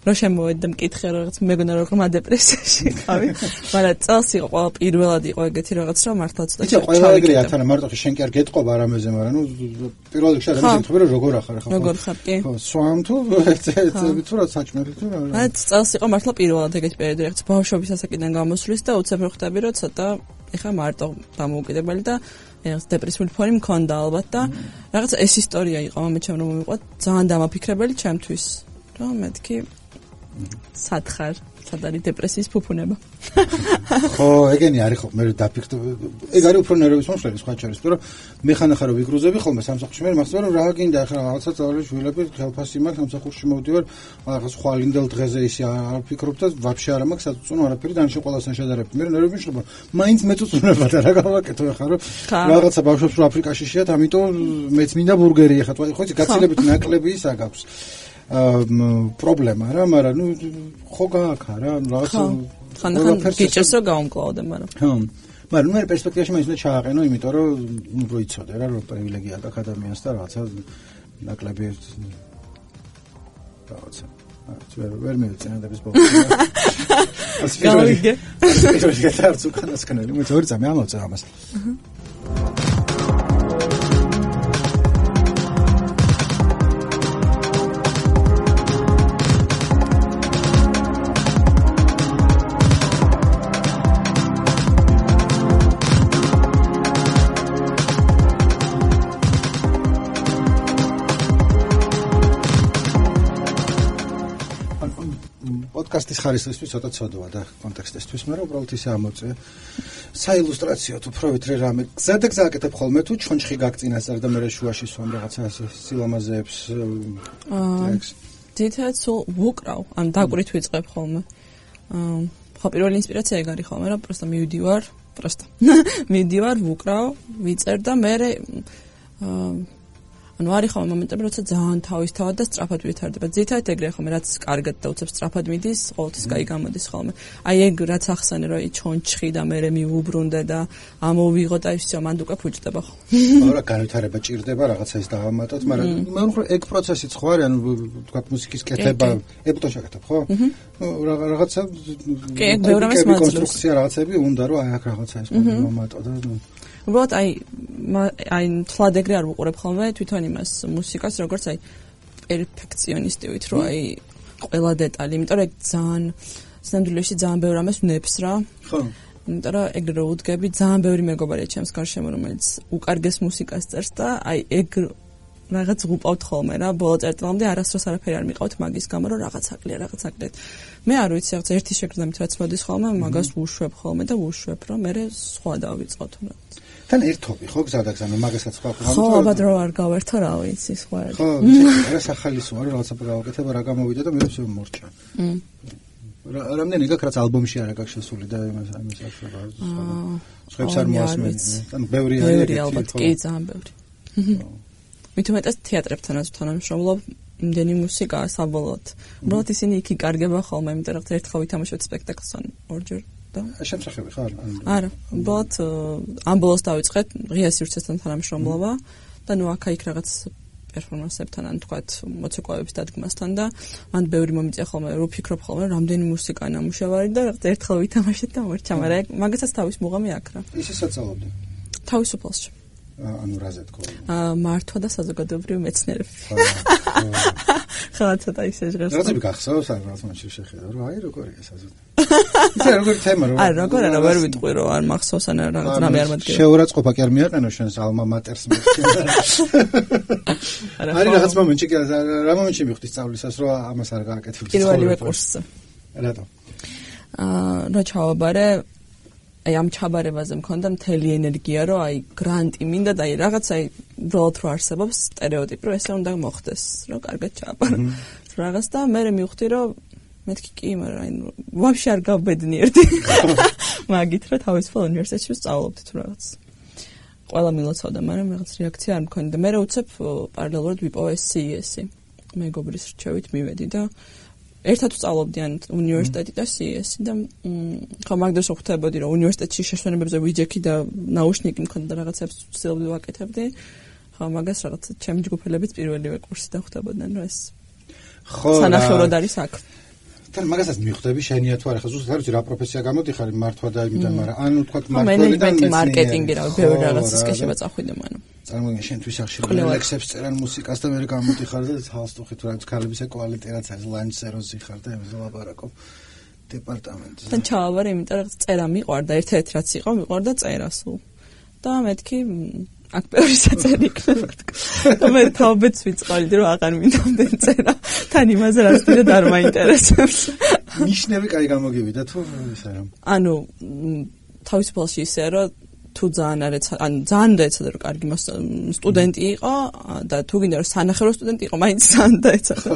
რა შემოვედა მკითხე რაღაც მეგონა რომ დეპრესიაში ხავი, მაგრამ წელს იყო ყველა პირველად იყო ეგეთი რაღაც რომ მართლა ცოტა იცი ყველა ეგრეა თან მარტო შენ კი არ გეტყობა რამეზე, მაგრამ ნუ პირველ რიგში ადამიანი ეთქობა რომ როგორ ახარ ხო? როგორ ხარ კი? ხო, სვამ თუ თუ რა საჭმელი თუ რა. აი წელს იყო მართლა პირველად ეგეთი პერიოდი რაღაც ბავშვობის ასაკიდან გამოსვლის და უცებ რო ხვდები რომ ცოტა ეხა მარტო დამოუკიდებელი და ეს დეპრესიული ფონი მქონდა ალბათ და რაღაც ეს ისტორია იყო მომეჩემ რომ მივიყვა ძალიან დამაფიქრებელი ჩემთვის. რომ მეთქი სათხარ სადარი დეპრესიის ფუფუნება. ხო, ეგენი არის ხო, მე დაფიქრდი. ეგ არის უფრო ნერვების მომშლელი სხვა ჩარის, მაგრამ მე ხანახა რომ ვიგრუზები ხოლმე სამსახურში, მე მახსოვს რომ რა გინდა ახლა რაღაცა წავალი შვილები ხელფასი მაქვს სამსახურში მოვდივარ, რაღაც ხვალინდელ დღეზე ისე არ ვფიქრობ და ვაფშე არ მაქვს საწუწუნო არაფერი დანიშნულ ყველასთან შედარებით. მე ნერვები მშლება, მაინც მეწუწუნება და რა გავაკეთო ახლა რომ რაღაცა ბავშვებს რომ აფრიკაში შეათ, ამიტომ მეც მინდა ბურგერი ახლა, ხო იცი გაცილებით ნაკლები ის აგაქვს. პრობლემა რა, მაგრამ ნუ ხო გააქა რა, რაღაცა ხან-ხან გიჭერს რომ გავამკლავდე, მაგრამ ხო, მაგრამ მე პერსპექტივაში მაინც უნდა ჩააყენო, იმიტომ რომ ნუ პროიცოდე რა, რომ პრივილეგია აქვს ადამიანს და რაღაცა ნაკლები რაღაცა ვერ ვერ მივეწინადების ბოლოს. გავიგე. ეს გეტარც უკანასკნელი, მე თორე წამი ამოწევ ამას. პოდკასტის ხარისხისთვის ცოტა ცოდვა და კონტექსტისთვის, მაგრამ უბრალოდ ისე ამოწე. საილუსტრაციო თუ პროვითრე რამე გზადა გზააკეთებ ხოლმე თუ ჩონჩხი გაგწინასწარ და მე შუაში სვამ რაღაცა სილამაზეებს ტექს. ძირითადად სულ ვუკრავ, ან დაკვირით ვიწყებ ხოლმე. აა ხო პირველი ინსპირაცია ეგ არის ხოლმე, რა პროსტა მივდივარ, პროსტა. მივდივარ, ვუკრავ, ვიწერ და მე აა ანუ არის ხოლმე მომენტები, როცა ძალიან თავისთავად და სწრაფად ვითარდება. ძირითადად ეგრე ხოლმე, რაც კარგად და უცებ სწრაფად მიდის, ყოველთვის კაი გამოდის ხოლმე. აი ეგ რაც ახსენე, რომ ჩონჩხი და მე მივუბრუნდე და ამოვიღო და ისე მანდ უკვე ფუჭდება ხო. არა, განვითარება ჭირდება, რაღაცა ის დავამატოთ, მაგრამ მე ვთქვი ეგ პროცესიც ხო არის, ანუ თქვა მუსიკის კეთება, ებტო შეკეთებ, ხო? ნუ რაღაცა კი, ეგ ბევრ ამას მაძლევს. კონსტრუქცია რაღაცები უნდა რომ აი აქ რაღაცა ის მომატო და უბრალოდ აი აი თლად ეგრე არ ვუყურებ ხოლმე თვითონ იმას მუსიკას როგორც აი პერფექციონისტივით რომ აი ყველა დეტალი, იმიტომ რომ ეგ ძალიან სამდვილეში ძალიან ბევრ ამას ვნებს რა. ხო. იმიტომ რომ ეგრე რო უდგები ძალიან ბევრი მეგობარია ჩემს გარშემო რომელიც უკარგეს მუსიკას წერს და აი ეგ რაღაც ვუყავთ ხოლმე რა ბოლო წერტილამდე არასდროს არაფერი არ მიყავთ მაგის გამო რომ რაღაც აკლია რაღაც აკლეთ. მე არ ვიცი რაღაც ერთი შეგრძნებით რაც მოდის ხოლმე მაგას ვუშვებ ხოლმე და ვუშვებ რომ მე სხვა დავიწყოთ რა. თან ერთობი ხო გზადაგზანო მაგასაც ხო ხო ალბათ რომ არ გავერთო რა ვიცი სხვა ერთი ხო რა სახალისო არის რაღაცა გავაკეთებ რა გამოვიდა და მე ვსე მორჭა რა რამდენი გაქვს რაც ალბომში არა გაქვს შესული და იმას ამის ახლა სხვებს არ მოასმენ თან ბევრი არის ბევრი ალბათ კი ძალიან ბევრი მით უმეტეს თეატრებთანაც თანამშრომლობ იმდენი მუსიკაა საბოლოოდ უბრალოდ ისინი იქ იკარგება ხოლმე იმიტომ რომ ერთხელ ვითამაშოთ სპექტაკლს ან ორჯერ შემსახები ხარ? არა, უბრალოდ ამ ბოლოს დავიწყეთ ღია სივრცესთან თანამშრომლობა და ნუ აქა-იქ რაღაც პერფორმანსებთან ან თქვათ მოცეკვავების დადგმასთან და მან ბევრი მომიწია ხოლმე რომ ვფიქრობ ხოლმე რამდენი მუსიკაა ნამუშევარი და რაღაც ერთხელ ვითამაშეთ და მორჩა, მაგრამ მაგასაც თავის მუღამი აქ რა. ისე საწავლობდი? თავისუფალში. ანუ რაზე თქო? აა მართვა და საზოგადოებრივი მეცნიერები. ხო, ცოტა ისე ჟღერს. რაღაცები გახსოვს ან რაღაც მომენტში შეხედა რომ აი როგორია საზოგადოება. ისე როგორი თემა რო. აი როგორ არა ვერ ვიტყვი რომ არ მახსოვს ან რაღაც რამე არ მადგება. შეურაცხყოფა კი არ მიაყენო შენს ალმა მატერს მეკითხა. არის რაღაც მომენტში კი რა მომენტში მივხვდი სწავლისას რომ ამას არ გააკეთებდი. პირველივე კურსზე. რატო? აა რო ჩავაბარე აი ამ ჩაბარებაზე მქონდა მთელი ენერგია რომ აი გრანტი მინდა და აი რაღაც აი უბრალოდ რო არსებობს სტერეოტიპი რომ ესე უნდა მოხდეს რომ კარგად ჩააბარო რაღაც და მე მივხვდი რომ მეთქი კი მაგრამ აი ვაფშე არ გავბედნიერდი მაგით რომ თავისუფალ უნივერსიტეტში ვსწავლობდი თუ რაღაც ყველა მილოცავდა მაგრამ რაღაც რეაქცია არ მქონდა მე რა უცებ პარალელურად ვიპოვე სი ი ესი მეგობრის რჩევით მივედი და ერთად ვსწავლობდიან უნივერსიტეტი და სი ეს და ხო მაგდროს ხვდებოდი რომ უნივერსიტეტში შეშვენებებზე ვიჯექი და ნაუშნიკი მქონდა და რაღაცებს ვცდილობდი ვაკეთებდი. ხო მაგას რაღაც ჩემი ჯგუფელებიც პირველივე კურსიდან ხვდებოდნენ რომ ეს ხო სანახევროდ არის აქ. თან მაგასაც მიხვდები შენია თუ არა ხა ზუსტად არ ვიცი რა პროფესია გამოდიხარ მართვა და იმიდან მაგრამ ანუ თქვა მართვებიდან მარკეტინგი რა ბევრი რაღაცის კეშება წახვიდე მანო. წარმოიდგინე შენთვის ახშირებული ლექსებს წერან მუსიკას და მე გამოდიხარ და თალსტუხით რა ქალების ეკვალიტეტი რაც არის ლანჩეროზი ხარ და ემზე ლაპარაკობ დეპარტამენტზე. თან ჩავარ იმიტომ რომ წერა მიყვარდა ერთ-ერთი რაც იყო მიყვარდა წერა სულ. და მეთქი აქ ბევრი საწერი იქნება თქო. და მე თავებიც ვიწყალდი რომ აღარ მინდამდენ წერა. თან იმაზე რაც დიდად არ მაინტერესებს. ნიშნები კაი გამოგივიდა თუ ისა რა. ანუ თავისუფალში ისე რომ თუ ძალიან არ ეცა, ან ძალიან დაეცადა რომ კარგი სტუდენტი იყო და თუ გინდა რომ სანახევრო სტუდენტი იყო, მაინც ძალიან დაეცადა.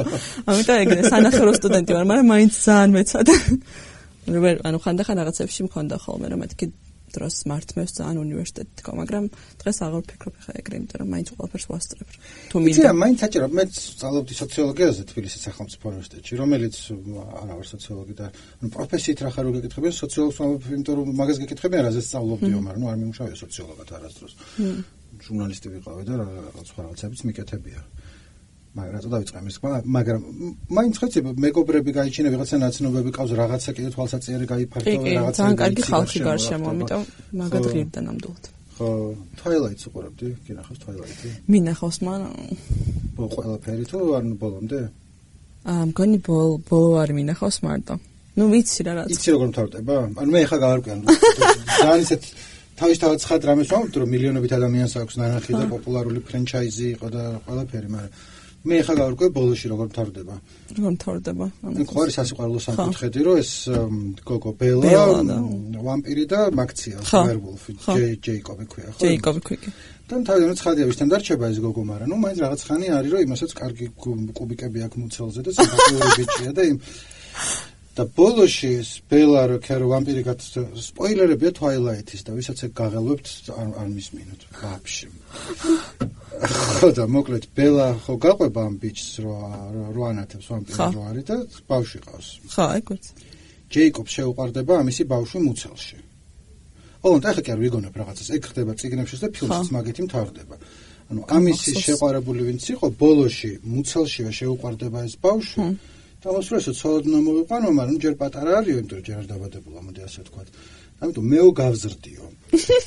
ამიტომ ეგრე სანახევრო სტუდენტი ვარ, მაგრამ მაინც ძალიან მეცადა. ანუ ხანდახან რაღაცებში მქონდა ხოლმე რომ მეთქი დროს მართმევს ძალიან უნივერსიტეტი თქო, მაგრამ დღეს აღარ ვფიქრობ ხა ეგრე, იმიტომ რომ მაინც ყველაფერს ვასწრებ. თუ მინდა. იცი, მაინც საჭირო, მე სწავლობდი სოციოლოგიაზე თბილისის სახელმწიფო უნივერსიტეტში, რომელიც არა ვარ სოციოლოგი და ანუ პროფესიით რა ხარ რო გეკითხებიან, სოციოლოგს ვამბობ, იმიტომ რომ მაგას გეკითხებიან, რაზეც სწავლობდიო, მაგრამ ნუ არ მიმუშავია სოციოლოგად არასდროს. ჟურნალისტი ვიყავი და რაღაც სხვა რაღაცებიც მიკეთებია. მაგრამ რა დავიწყე მის თქმა, მაგრამ მაინც ხეცი მეგობრები გაიჩინე ვიღაცა ნაცნობები ყავს რაღაცა კიდე თვალსაჩინო გაიფართო რაღაცა. ძალიან კარგი ხალხი გარშემო, ამიტომ მაგად ღირდა ნამდვილად. ხო, Twilight-ს უყურებდი, გინახავს Twilight-ი? მინახავს მან ყველაფერი თუ არ ბოლომდე? აა მგონი ბოლ ბოლო არ მინახავს მარტო. ნუ ვიცი რა რაც. იცი როგორ მთავრდება? ანუ მე ახლა გავარკვიან. ძალიან ისეთ თავისთავად ცხად რამეს ვამბობ, რომ მილიონობით ადამიანს აქვს ნანახი და პოპულარული ფრენჩაიზი იყო და ყველაფერი, მაგრამ მე ახლა გავარკვე ბოლოში როგორ მთავრდება. როგორ მთავრდება? ანუ ხო არის სასიყვარულო სამკუთხედი, რომ ეს გოგო ბელა, ვამპირი და მაქცია, ვერვოლფი, ჯეიკობი ქვია, ხო? ჯეიკობი ქვია. და თავიდან ცხადია ვისთან დარჩება ეს გოგო, მაგრამ ნუ მაინც რაღაც ხანი არის, რომ იმასაც კარგი კუბიკები აქვს მუცელზე და სიმპათიური ბიჭია და იმ და ბოლოში ეს ბელა რო ქერო ვამპირი გაც სპოილერებია Twilight-ის და ვისაც ეგ გაღელვებთ არ არ მისმინოთ ვაფშე. ხო და მოკლედ ბელა ხო გაყვება ამ ბიჭს რო რო ანათებს ვამპირი რო არის და ბავშვი ყავს. ხო, ეგ ვიცი. ჯეიკობს შეუყვარდება ამისი ბავშვი მუცელში. ოღონდ ახლა კი არ ვიგონებ რაღაცას. ეგ ხდება წიგნებში და ფილმშიც მაგითი მთავრდება. ანუ ამისი შეყვარებული ვინც იყო ბოლოში მუცელშივე შეუყვარდება ეს ბავშვი. დავასრულოთ ცოდნა მოვიყვანო, მაგრამ ჯერ პატარა არის, იმიტომ რომ ჯერ არ დაბადებულა, მოდი ასე ვთქვათ. ამიტომ მეო გავზრდიო.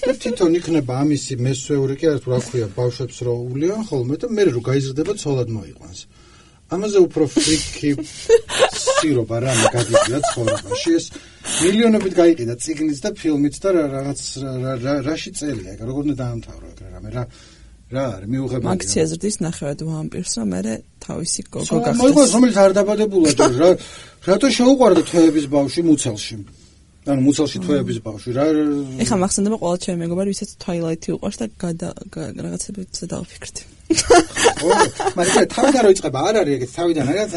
და თვითონ იქნება ამისი მესვეული კი არის, რა ქვია, ბავშვებს რო უვლიან ხოლმე და მე რო გაიზრდება ცოლად მოიყვანს. ამაზე უფრო ფრიკი სირობა რა მაგადია ცხოვრებაში. ეს მილიონობით გაიყიდა წიგნიც და ფილმიც და რაღაც რაში წერია, ეგ როგორ უნდა დაამთავრო ეგ რამე რა რა არის მიუღებელი. მაქცია ზრდის ნახევად ვამპირს, რომ მე თავისი გოგო გახდეს. მოიყვანს, რომელიც არ დაბადებულა ჯერ რა რატო შეუყვარდა თვეების ბავშვი მუცელში. ანუ მუცელში თვეების ბავშვი რა ეხა მახსენდება ყველა ჩემი მეგობარი, ვისაც Twilight-ი უყვარს და რაღაცებიც დავაფიქრდი. ო, მაგრამ თავიდან რო იწყება, არ არის ეგეთ თავიდან რაღაც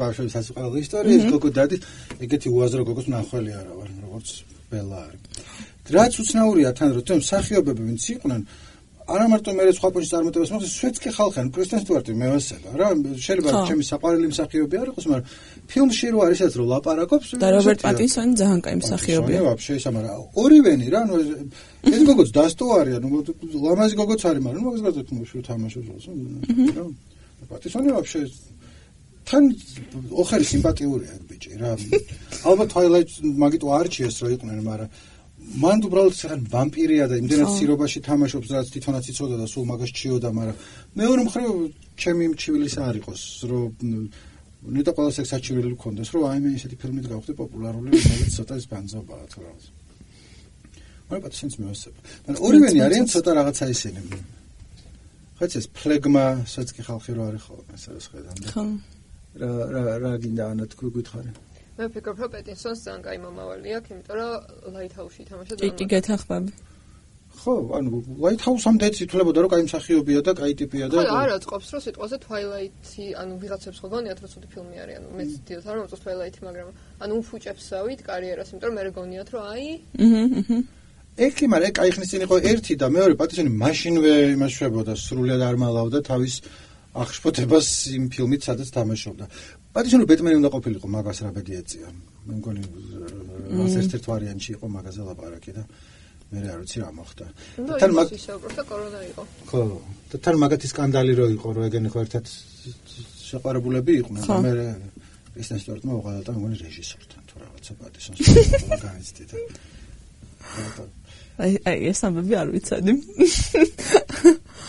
ბავშვების სასიყვარულო ისტორია, ეს გოგო დადის, ეგეთი უაზრო გოგოს ნახველი არა ვარ, როგორც ბელა არის. რაც უცნაურია თან რომ თემ მსახიობები ვინც იყვნენ არა მარტო მე სხვა პოჟის წარმატებას მოხდეს, სვეტსკი ხალხი, კრისტენ სტუარტი მე ვასება რა, შეიძლება ჩემი საყვარელი მსახიობი არ იყოს, მაგრამ ფილმში რო არის ეს რო ლაპარაკობს და რობერტ პატინსონი ძალიან კაი მსახიობია. ვაფშე ისა, მაგრამ ორივენი რა, ნუ ეს გოგოც დასტოვარია, ნუ ლამაზი გოგოც არის, მაგრამ ნუ მაგას გადავთ მუშ თამაშობს რა. პატინსონი ვაფშე თან ოხერი სიმპათიურია ეს ბიჭი რა. ალბათ Twilight მაგით არჩიეს რო იყვნენ, მაგრამ მან უბრალოდ საგან ვამპირია და იმდენად სირობაში თამაშობს, რაც თვითონაც იცოდა და სულ მაგას ჩიოდა, მაგრამ მეორე მხრივ ჩემი მჩივილისა არ იყოს, რომ ნეტა ყველა სექსაჩივილი გქონდეს, რომ აი მე ესეთი ფილმით გავხდე პოპულარული, რომელიც ცოტა ის ბანძობაა თუ რაღაც. მაგრამ პატინსონს მევასება. მაგრამ ორივენი არიან ცოტა რაღაცა ისინი. ხაც ეს ფლეგმასაც კი ხალხი რო არის ხოლმე, სადაც ხედავ. ხო. რა რა რა გინდა ანა თქვი გითხარი? მე ვფიქრობ, რომ პეტინსონს ძალიან კაი მომავალი აქვს, იმიტომ რომ Lighthouse-ში თამაშობს. კი, კი, გეთანხმები. ხო, ანუ Lighthouse-ამდე ითვლებოდა, რომ კაი მსახიობია და კაი ტიპია და ხო, არა, წყობს, რომ სიტყვაზე Twilight-ი, ანუ ვიღაცებს ხო გონიათ, რომ ცუდი ფილმი არის, ანუ მეც დიდად არ მომწონს Twilight-ი, მაგრამ ანუ უფუჭებსავით კარიერას, იმიტომ რომ მე გონიათ, რომ აი აჰა, აჰა. ეგ კი, მაგრამ ეგ კაი ხნის წინ იყო ერთი და მეორე პატინსონი მაშინვე იმას შვებოდა, სრულიად არ მალავდა თავის აღშფოთებას იმ ფილმით სადაც თამაშობდა. პატიჟონო ბეტმენი უნდა ყოფილიყო, მაგას რა ბედი ეწია. მე მგონი რაც ერთ-ერთ ვარიანტში იყო მაგაზე ლაპარაკი და მე არ ვიცი რა მოხდა. თან მაგ ისე უბრალოდ კორონა იყო. ხო, და თან მაგათი სკანდალი რო იყო, რომ ეგენი ხო ერთად შეყარებულები იყვნენ და მე კრისტენ სტიუარტმა უყალატა მგონი რეჟისორთან თუ რაღაცა პატისონს განიცდიდა. აი აი ეს ამბები არ ვიცოდი.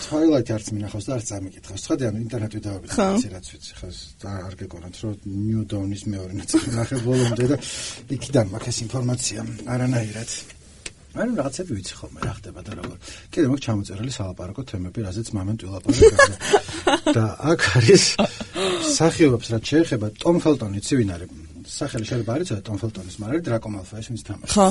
Twilight არც მინახავს და არც ამიკითხავს. ცხადია, ინტერნეტში დავაბიძე რაც ვიცი, ხო და არ გეკონათ, რომ New Dawn-ის მეორე ნაწილი ნახე ბოლომდე და იქიდან მაქვს ეს ინფორმაცია არანაირად. მაგრამ რაღაცები ვიცი ხოლმე რა ხდება და როგორ. კიდე მაქვს ჩამოწერილი სალაპარაკო თემები, რაზეც მომენტ ვილაპარაკო. და აქ არის სახიობებს რაც შეეხება Tom Felton-ი, ცი ვინ არის? სახელი შეიძლება არ იცოდე Tom Felton-ის, მაგრამ არის Draco Malfoy, ვინც თამაშობს. ხო.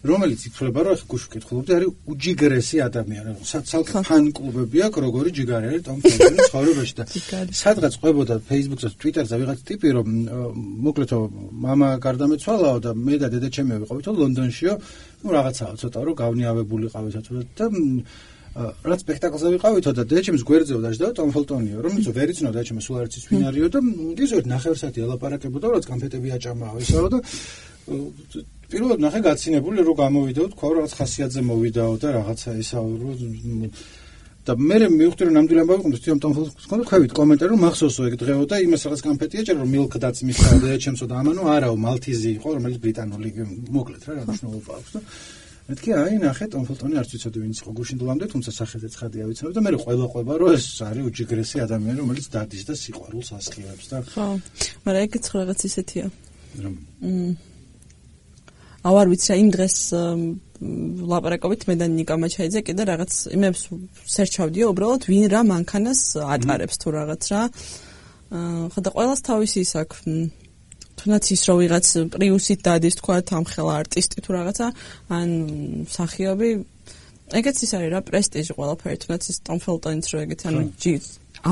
რომელიც ითვლება, რომ გუშ ვკითხულობდი, არის უჯიგრესი ადამიანი. საცალკე ფან-კლუბები აქვს, როგორი ჯიგარი არის Tom Felton-ის ცხოვრებაში და სადღაც ყვებოდა Facebook-ზე, Twitter-ზე ვიღაც ტიპი, რომ მოკლედ მამა გარდამეცვალაო და მე და დედაჩემი ვიყავითო ლონდონშიო, ну რაღაცაა ცოტა რომ გავნიავებულიყავით და რა სპექტაკლზე ვიყავითო და დედაჩემს გვერდზეო დაждდა Tom Felton-იო, რომელიც ვერ იცნობდა დედაჩემს სულ არ იცის ვინ არისო და ისევ ნახევარსაათი ელაპარაკებოდა, რაც კონფეტები აჭამაო ისაო და პირველად ნახე გაცინებული რომ გამოვიდაო, თქვა რომ რაღაც ხასიათზე მოვიდაო და რაღაცა ისაო რომ და მე მივხვდი რომ ნამდვილი ამბავი ყავს თვითონ Tom Felton-ის კონდა ხვევით კომენტარი რომ მახსოვსო ეგ დღეო და იმას რაღაც კონფეტი აჭერა რომ milk დაც მისცა დედაჩემსო და ამანო არაო მალთიზი იყო რომელიც ბრიტანული მოკლედ რა რა მნიშვნელობა აქვს და მეთქი აი ნახე Tom Felton-ი არც ვიცოდი ვინც იყო გუშინდლამდე თუმცა სახელზე ცხადია ვიცნობ და მე ყველა ყვება რომ ეს არის უჯიგრესი ადამიანი რომელიც დადის და სიყვარულს ასხივებს და ხო მაგრამ ეგეც რაღაც ისეთია რომ ავარ ვიცი რა იმ დღეს ლაპარაკობით მე და ნიკა მაჩაიძე კიდე რაღაც იმებს სერჩავდიო უბრალოდ ვინ რა მანქანას ატარებს თუ რაღაც რა ხო და ყველას თავისი ის აქვს თუნდაც ის რომ ვიღაც პრიუსით დადის თქვა ამხელა არტისტი თუ რაღაცა ან მსახიობი ეგეც ის არის რა პრესტიჟი ყველაფერი თუნდაც ის Tom Felton-იც რო ეგეთ ანუ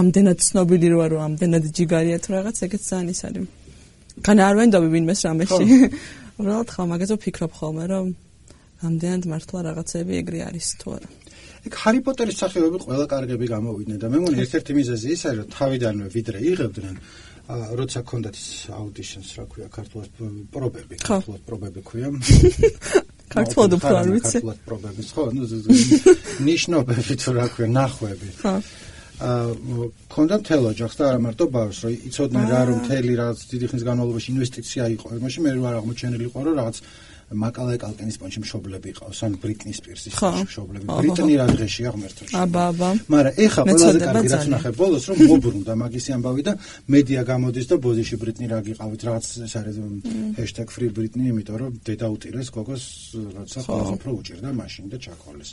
ამდენად ცნობილი რო არო ამდენად ჯიგარია თუ რაღაც ეგეც ძალიან ის არის კანა არ ვენდობი ვინმეს რამეში უბრალოდ ხა მაგაზე ვფიქრობ ხოლმე რომ ამდენად მართლა რაღაცები ეგრე არის თუ არა ეგ ჰარი პოტერის სახეობები ყველა კარგები გამოვიდნენ და მე მგონი ერთ-ერთი მიზეზი ის არის რომ თავიდანვე ვიდრე იღებდნენ როცა ქონდათ ის აუდიშენს რა ქვია ქართულად პრობები ქართულად პრობები ქვია ქართულად უფრო არ ვიცი ქართულად პრობები ხო ნიშნობები თუ რა ქვია ნახვები ხო ქონდა მთელ ოჯახს და არა მარტო ბავშვს რომ იცოდნენ რა რომ მთელი რაღაც დიდი ხნის განმავლობაში ინვესტიცია იყო იმაში მე რა აღმოჩენილიყო რომ რაღაც მაკალაი კალკინის პონჩი მშობლები ყავს ან ბრიტნი სპირსის მშობლები ბრიტნი რა დღეშია ღმერთოში აბა აბა მაგრამ ეხა ყველაზე კარგი რაც ნახე ბოლოს რომ მობრუნდა მაგისი ამბავი და მედია გამოდის და ბოდიში ბრიტნი რა გიყავით რაღაც ეს არის ჰეშტეգ free britney იმიტომ რომ დედა უტირეს გოგოს როცა ყველაზე უფრო უჭირდა მაშინ და ჩაქოლეს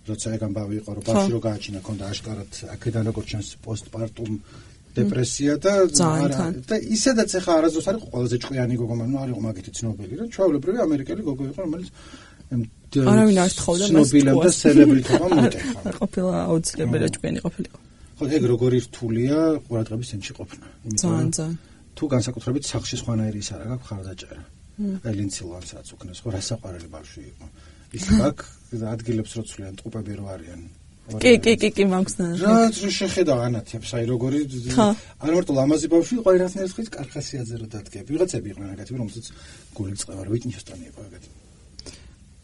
როცა ეგ ამბავი იყო რომ ბავშვი რო გააჩინა ქონდა აშკარად აქედან როგორც ჩანს პოსტპარტუმ დეპრესია და და ისედაც ახლა არასდროს არის ყველაზე ჭკვიანი გოგო მაგრამ არ იყო მაგითი ცნობილი რა ჩვეულებრივი ამერიკელი გოგო იყო რომელიც არავინ არ თხოვდა მას ცნობილებ და სელებრიტობა მოტეხა ყოფილა აუცილებელია ჭკვიანი ყოფილიყო ხო ეგ როგორი რთულია ყურადღების ცენტრში ყოფნა ძალიან ძალიან თუ განსაკუთრებით სახლში სხვანაირი ის არა გაქვს ხარდაჭერა აი ლინცილვანსაც უკნეს ხო რასაყვარელი ბავშვი იყო ის აქ ადგილებს რო ცვლიან ტყუპები რო არიან კი კი კი კი მაგსნა რა შეხედა ანათებს აი როგორი არ მარტო ლამაზი ბავშვი იყო ერთნაირად ხის კარხასიაძე რო დადგები ვიღაცები იყვნენ ეგეთი რომელსაც გული წევა რო ვიტნი ჰიუსტონი იყო ეგეთი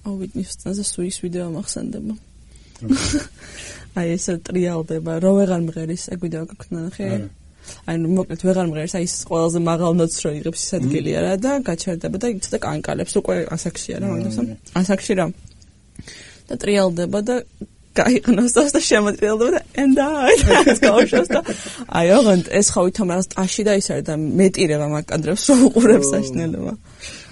აუ ვიტნი ჰიუსტონზე სუის ვიდეო მახსენდება აი ეს ტრიალდება რო ვეღარ მღერის ეგ ვიდეო გქნა ნახე აი მოკლედ ვეღარ მღერის აი ეს ყველაზე მაღალ ნოტს რო იღებს ის ადგილია რა და გაჩერდება და ცოტა კანკალებს უკვე ასაკშია რა მაგასა ასაკში რა და ტრიალდება და გაიყნოს და შემოტრიალდება და and I ეს გავშოს და აი ოღონდ ეს ხო ვითომ რაღაც ტაში და ის არის და მეტირება მაგ კადრებს რო უყურებს საშნელება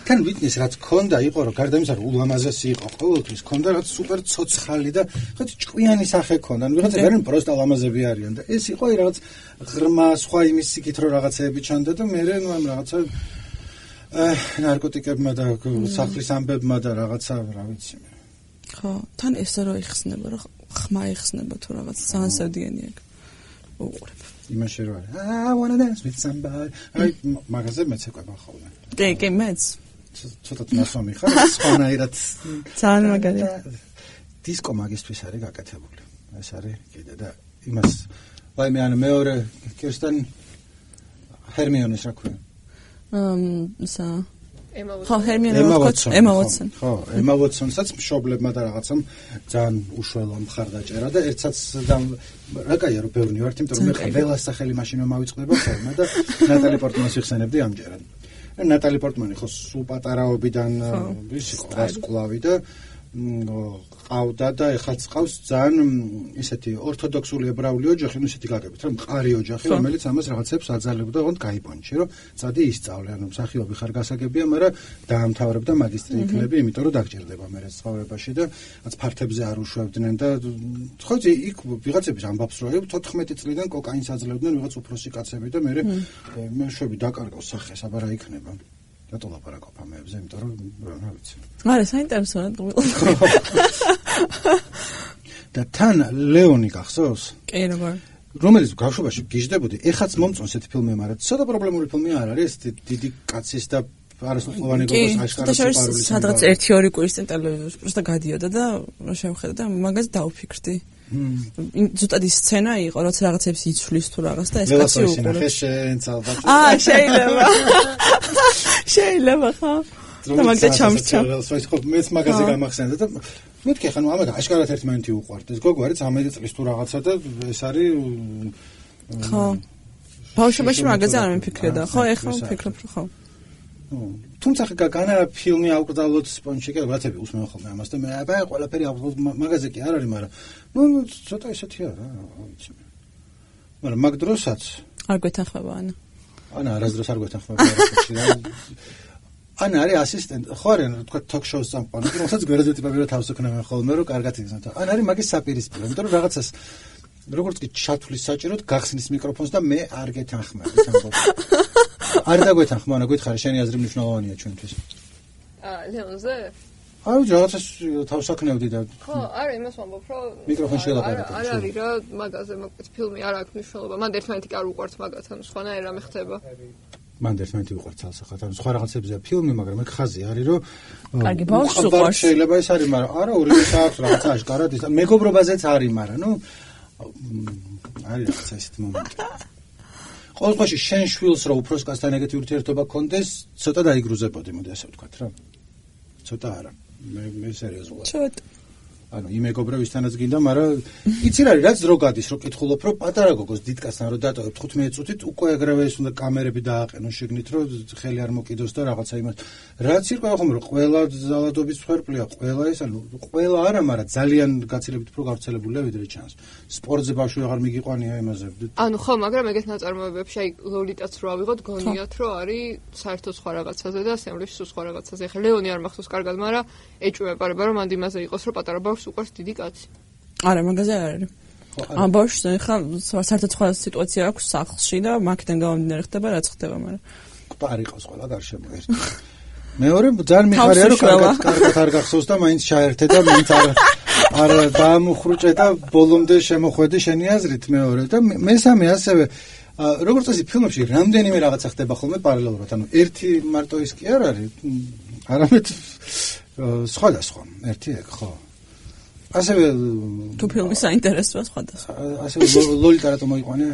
თან ვიტნის რაც ქონდა იყო რომ გარდა იმისა რომ ულამაზესი იყო ყოველთვის ქონდა რაც სუპერ ცოცხალი და ხეთ ჭკვიანი სახე ქონდა ანუ ვიღაცა ვერენ პროსტა ლამაზები არიან და ეს იყო რაღაც ღრმა სხვა იმის სიკით რო რაღაცეები ჩანდა და მე ნუ ამ რაღაცა ნარკოტიკებმა და სახლის ამბებმა და რაღაცა რა ვიცი მე ხო თან ესე რო იხსნება რა ხმა იხსნება თუ რაღაც ძალიან სევდიანი აქ უყურებ იმაში რო არის I wanna dance with somebody აი მაგაზე მეც ეკვება ხოლმე კი კი მეც ცოტა თმასომი ხარ სხვანაირად ძალიან მაგარია დისკო მაგისტვის არის გაკეთებული ეს არის კიდე და იმას ვაიმე ანუ მეორე კირსტენ ჰერმიონის რა ქვია? აა სა ემა ხო ჰერმიონი ემა ვოტსონ ხო ემა ვოტსონსაც მშობლებმა და რაღაცამ ძალიან უშველო მხარდაჭერა და ერთსაც რა კაია რომ ბევრი ვართ იმიტომ რომ მე ყველას სახელი მაშინვე მავიწყდება ხოლმე და ნატალი პორტმანის ვიხსენებდი ამჯერად ნატალი პორტმანი ხო სულ პატარაობიდან ის იყო გასკვლავი და ყავდა და ეხლაც ყავს ძალიან ისეთი ორთოდოქსული ებრაული ოჯახი, ну ისეთი გაგებით, რომ მყარი ოჯახი, რომელიც ამას რაღაცებს აძალებდა, თქო გაიბონჩი, რომ წადი ისწავლე, ანუ მსახიობი ხარ გასაგებია, მაგრამ დაამთავრებდა მაგისტრი იქნები, იმიტომ რომ დაგჭირდება მე ცხოვრებაში და რაც ფართებზე არ უშვებდნენ და ხო იცი, იქ ვიღაცების ამბავს რო თოთხმეტი წლიდან კოკაინს აძლევდნენ ვიღაც უფროსი კაცები და მე მე შვები დაკარგავს სახეს, აბა რა იქნება. რატო ლაპარაკობ ამებზე, იმიტომ რომ რა ვიცი. არა, საინტერესოა გულო. და თან ლეონი გახსოვს? კი, როგორ. რომელიც ბავშვობაში გიждდებოდი, ეხაც მომწონს ეს ფილმი, მაგრამ ცოტა პრობლემური ფილმი არ არის, დიდი კაცის და არასრულოვანი გოგოს აშკარად სიყვარულის. სადღაც ერთი ორი კვირის წინ ტელევიზორში просто გადიოდა და რა შევხედე და მაგაზე დავფიქრდი. ზუსტად ის სცენა იყო, რაც რაღაცებს იცვლის თუ რაღაც და ეს კაცი უყურებს. აა, შეიძლება. შეიძლება ხო? და მაგდა ჩამრჩა. ეს ხო მეც მაგაზე გამახსენდა და მეთქე ხანუ ამაგა აშკარად ერთმანეთი უყვართ. ეს გოგო არის ცამეტი წლის თუ რაღაცა და ეს არის ხო. ბავშვობაში მაგაზე არ მიფიქრედა, ხო? ეხლა ვფიქრობ, ხო. თუმცა განა ფილმი აუკრძალოთ სპონჩი კი რაღაცები უსმენ ხოლმე ამას და მე აბა ყველაფერი მაგაზე კი არ არის, მაგრამ ნუ ცოტა ისეთია რა, ვიცი. მაგრამ მაგ დროსაც არ გვეთანხმება ანა. ანა არასდროს არ გვეთანხმება არასდროს. ანა არის ასისტენტი, ხო არის თქვა თოქ-შოუს წამყვანი, რომელსაც გვერდზე ტიპები რა თავს უქნებენ ხოლმე რომ კარგად იგზნოთ. ანა არის მაგის საპირისპირო, იმიტომ რომ რაღაცას როგორც კი ჩათვლის საჭიროდ გახსნის მიკროფონს და მე არ გეთანხმები ამბობს. არ დაგვეთანხმა, ანა გითხარი, შენი აზრი მნიშვნელოვანია ჩვენთვის. აა, ლეონზე? აი, რაღაცას თავსაქნევდი და ხო, არა, იმას ვამბობ, რომ მიკროფონში ელაპარაკე. არ არის რა, მაგაზე მაგაც ფილმი არ აქვს მნიშვნელობა. მან ერთმანეთი კი არ უყვართ მაგათ, ანუ სხვანაირ რამე ხდება. მან ერთმანეთი უყვართ ცალსახად, ანუ სხვა რაღაცებზეა ფილმი, მაგრამ მე ხაზი არის, რომ კარგი, ბავშვს უყვარს. შეიძლება ეს არის, მაგრამ არა, ორივეს აქვს რაღაცა აშკარად ის. მეგობრობაზეც არის, მაგრამ ნუ არის რაღაცა ისეთი მომენტი. ყოველ შემთხვევაში შენ შვილს რო უფროს კაცთან ეგეთი ურთიერთობა გქონდეს, ცოტა დაიგრუზებოდი, მოდი ასე ვთქვათ რა. ცოტა არა. მე მე სერიოზულად. ცოტა. ანუ იმეგობრე ვისთანაც გინდა, მაგრამ იცი რა არის, რაც დრო გადის, რო კითხულობ, რომ პატარა გოგოს დიდკაცთან რო დატოვებ თხუთმეტ წუთით, უკვე ეგრევე ის უნდა კამერები დააყენო შეგნით, რომ ხელი არ მოკიდოს და რაღაცა იმას. რაც იყო ხომ რომ ყველა ზალადობის ფერპლია, ყველა ეს ანუ ყველა არა, მაგრამ ძალიან გაცილებით უფრო გავრცელებულია ვიდრე ჩანს. სპორტზე ბავშვი აღარ მიგიყვანია იმაზე. ანუ ხო, მაგრამ ეგეთ ნაწარმოებებში აი ლოლიტაც რო ავიღოთ, გონიათ რომ არის საერთოდ სხვა რაღაცაზე და სემლებში სულ სხვა რაღაცაზე. ეხლა ლეონი არ მახსოვს კარგად, მაგრამ ეჭვმეპარება რომ მანდ იმაზე იყოს, რომ პატარა ბავშვს უყურს დიდი კაცი. არა, მაგაზე არ არის. ამ ბავშვს ხა საერთოდ სხვა სიტუაცია აქვს სახლში და მაგიდან გამომდინარე ხდება რაც ხდება, მაგრამ ყარი ყავს ყველა გარშემო ერთი. მეორე ძალიან მიხარია რომ კარგად კარგად არ გახსოვს და მაინც ჩაერთე და მაინც არ არ დაამუხრუჭე და ბოლომდე შემოხვედი შენი აზრით მეორე და მესამე ასევე როგორც წესი ფილმებში რამდენიმე რაღაცა ხდება ხოლმე პარალელურად, ანუ ერთი მარტო ის კი არ არის, არამედ სხვადასხვა, ერთი ეგ ხო. ასევე თუ ფილმი საინტერესოა სხვადასხვა. ასევე ლოლიტა რატომ მოიყვანე?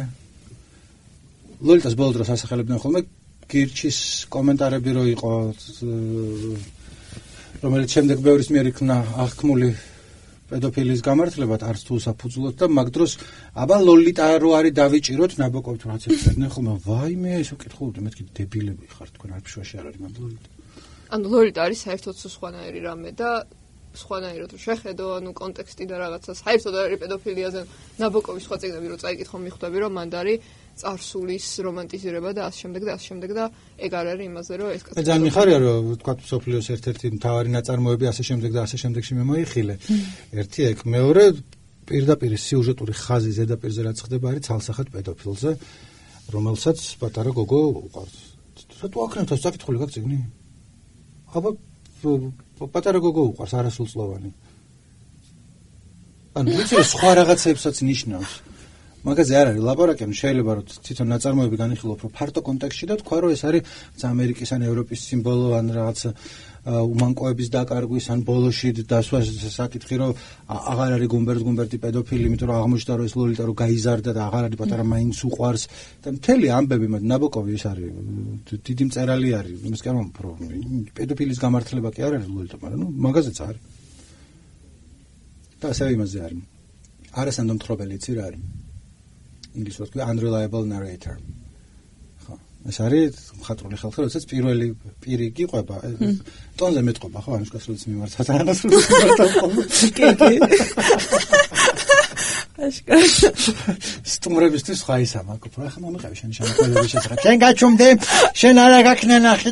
ლოლიტას ბოლო დროს ასახელებდნენ ხოლმე გირჩის კომენტარები რო იყო, რომელიც შემდეგ ბევრის მიერ იქნა აღქმული პედოფილის გამართლებად, არც თუ საფუძვლოდ და მაგ დროს აბა ლოლიტა რო არის დავიჭიროთ ნაბოკოვით რაც ეცედნენ ხოლმე, ვაიმე ეს ვკითხულობდი, მეთქი დებილები ხართ თქვენ არ ფშვაში არ არის მაგ ლოლიტა. ანუ ლოლიტა არის საერთოდ სხვანაირი რამე და სხვანაირად რო შეხედო, ანუ კონტექსტი და რაღაცა საერთოდ არის პედოფილიაზე. ნაბოკოვის სხვა წიგნები რო წაიკითხო, მიხვდები რომ მანდ არის წარსულის რომანტიზირება და ასე შემდეგ და ასე შემდეგ და ეგ არ არის იმაზე რომ ეს კაცი. ძალიან მიხარია რომ თქვა სოფლიოს ერთ-ერთი მთავარი ნაწარმოები ასე შემდეგ და ასე შემდეგში მე მოიხილე. ერთი ეგ, მეორე პირდაპირ სიუჟეტური ხაზი ზედაპირზე რაც ხდება არის ცალსახად პედოფილზე, რომელსაც პატარა გოგო უყარს. რატო აქნევთ ეს საკითხული გაქვს წიგნი? აბა პატარა გოგო უყარს არასრულწლოვანი. ანუ ვიცი სხვა რაღაცებსაც ნიშნავს. მაგაზე არ არის ლაპარაკი, შეიძლება რომ თვითონ ნაწარმოები განიხილო უფრო ფართო კონტექსტში და თქვა რომ ეს არის ამერიკის ან ევროპის სიმბოლო ან რაღაც უმანკოების დაკარგვის ან ბოლოში დასვა საკითხი რომ აღარ არის გუმბერტ გუმბერტი პედოფილი, იმიტომ რომ აღმოჩნდა რომ ეს ლოლიტა რომ გაიზარდა და აღარ არის პატარა მაინც უყვარს და მთელი ამბები მათ ნაბოკოვი ეს არის დიდი მწერალი არის, იმის გამო რომ პედოფილის გამართლება კი არ არის ლოლიტა, მაგრამ ნუ მაგაზეც არის. და ასევე იმაზე არის. არასანდო მთხრობელი იცი რა არის? ინგლისურად ქვია unreliable narrator. ხო, ეს არის მხატვრული ხალხი, როდესაც პირველი პირი გიყვება, ტონზე მეტყობა, ხო, ანუშკას როდესაც მიმართა თანაც როდესაც მიმართა. კი, კი. აშკარა. სტუმრებისთვის ხა ისა მაგ უფრო ახლა მომიყევი შენი შემოქმედების შესახებ. შენ გაჩუმდე, შენ არა გაქნა ნახე.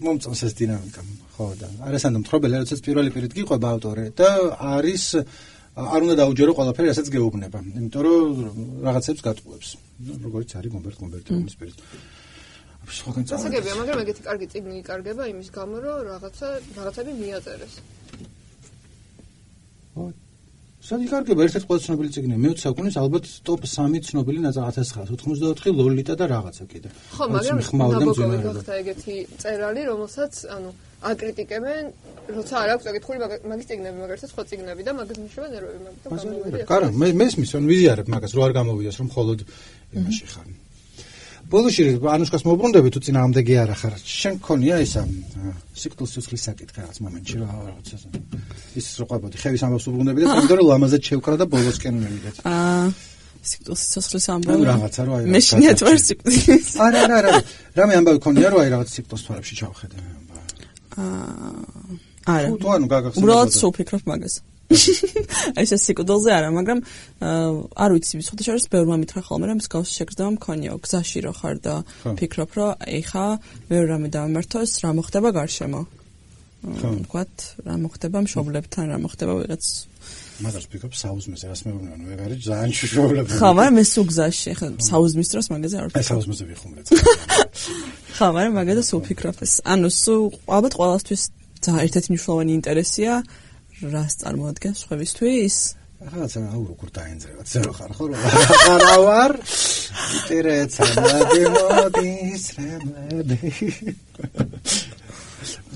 მომწონს ეს დინამიკა. ხო და არასანდო მთხრობელი, როდესაც პირველი პირით გიყვება ავტორი და არის არ უნდა დაუჯერო ყველაფერი, რასაც გეუბნება, იმიტომ რომ რაღაცებს გატყუებს. როგორც არის გომბერტ გომბერტის პირით. სხვაგან წავედი. ასაგებია, მაგრამ ეგეთი კარგი წიგნი იკარგება იმის გამო, რომ რაღაცა რაღაცები მიაწერეს. ხო. სად იკარგება ერთ-ერთი ყველაზე ცნობილი წიგნი მეოცე საუკუნის ალბათ ტოპ სამი ცნობილი ათას ცხრაასი ოცდაოთხი ლოლიტა და რაღაცა კიდე. ხო, მაგრამ ნაბოკოვი გახდა ეგეთი წერალი, რომელსაც ანუ აკრიტიკებენ, როცა არ აქვს აკითხული მაგის წიგნები, მაგალითად სხვა წიგნები და მაგას ნიშნება ნერვები, მაგით გამოვიდა. კარა, მე მესმის, ან ვიზიარებ მაგას, რო არ გამოვიდეს, რომ მხოლოდ იმაში ხარ. ბოლოში ანუშკას მოუბრუნდები თუ წინააღმდეგი არა ხარ. შენ გქონია ისა სიკვდილის სიცოცხლის საკითხი რაღაც მომენტში რა რაღაცა. ის რო ყვებოდი, ხევის ამბავს უბრუნდები და თვითონ რომ ლამაზად შევკრა და ბოლოსკენ მივიდეთ. აა სიკვდილის სიცოცხლის ამბავი. რაღაცა რო აი. მე შინიათ ვარ სიკვდილის. არა, არა, არა. რამე ამბავი გქონია რომ აი რაღაც სიკვდილის თვალებში ჩავხედე. აა არა. თუ ანუ გაგახსენე. უბრალოდ სუფიქრობ მაგას. ეს ეს სიკვდილზე არა, მაგრამ არ ვიცი, სხვათა შორის ბევრმა მითხრა ხოლმე, რომ მსგავსი შეგრძნება მქონიო, გზაში რო ხარ და ფიქრობ, რომ ეხა მეორე რამე დავამართოს, რა მოხდება გარშემო. ვთქვათ, რა მოხდება მშობლებთან, რა მოხდება ვიღაც მაგას ფიქრობ საუზმეზე, რას მეუბნება, ნუ ეგ არის ძალიან შუშობლები. ხო, მაგრამ მე სულ გზაში, ეხა საუზმის დროს მაგაზე არ ვფიქრობ. აი საუზმეზე ვიხუმრეთ. ხო, მაგრამ მაგაზე სულ ფიქრობ ეს. ანუ სულ ალბათ ყველასთვის ძალიან ერთ-ერთი მნიშვნელოვანი ინტერესია რას წარმოადგენს სხვებისთვის? რაღაცა აუ როგორ დაენძრევათ, ზერო ხარ ხო? რა ვარ? ინტერესა მოდიმოდის რემლები.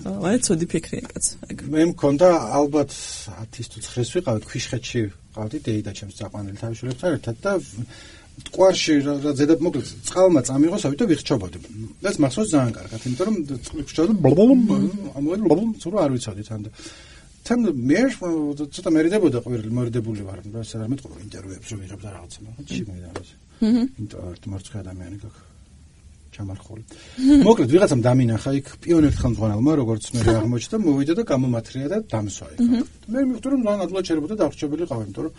აი ცუდი ფიქრია კაც. მე მქონდა ალბათ ათის თუ ცხრას ვიყავით ქვიშხეთში, ვყავდი დეიდა ჩემს წაყვანილი თავშურებთან ერთად და მტკვარში რა ზედა მოკლედ წყალმა წამიღო, სავით და ვიხჩობოდი. ეს მახსოვს ძალიან კარგად, იმიტომ რომ ვიხჩობოდი ბლბლუმ, ამოდი ბლბლუმ, ცურო არ ვიცოდი თან და თან მე ცოტა მერიდებოდა ყვირილი, მორიდებული ვარ, რა ეს არ მეტყობა ინტერვიუებს რომ ვიღებ და რაღაცა, მაგრამ ჩიმედა ეს. ინტერვიუ მარცხი ადამიანი გაქ ჩამარხული. მოკლედ ვიღაცამ დამინახა იქ პიონერთა ხელმძღვანელმა, როგორც მე აღმოჩნდა, მოვიდა და გამომათრია და დამსვა იქ. მე მივხვდი რომ ძალიან ადვილად შეიძლება დავრჩებილი ყავი, იმიტომ რომ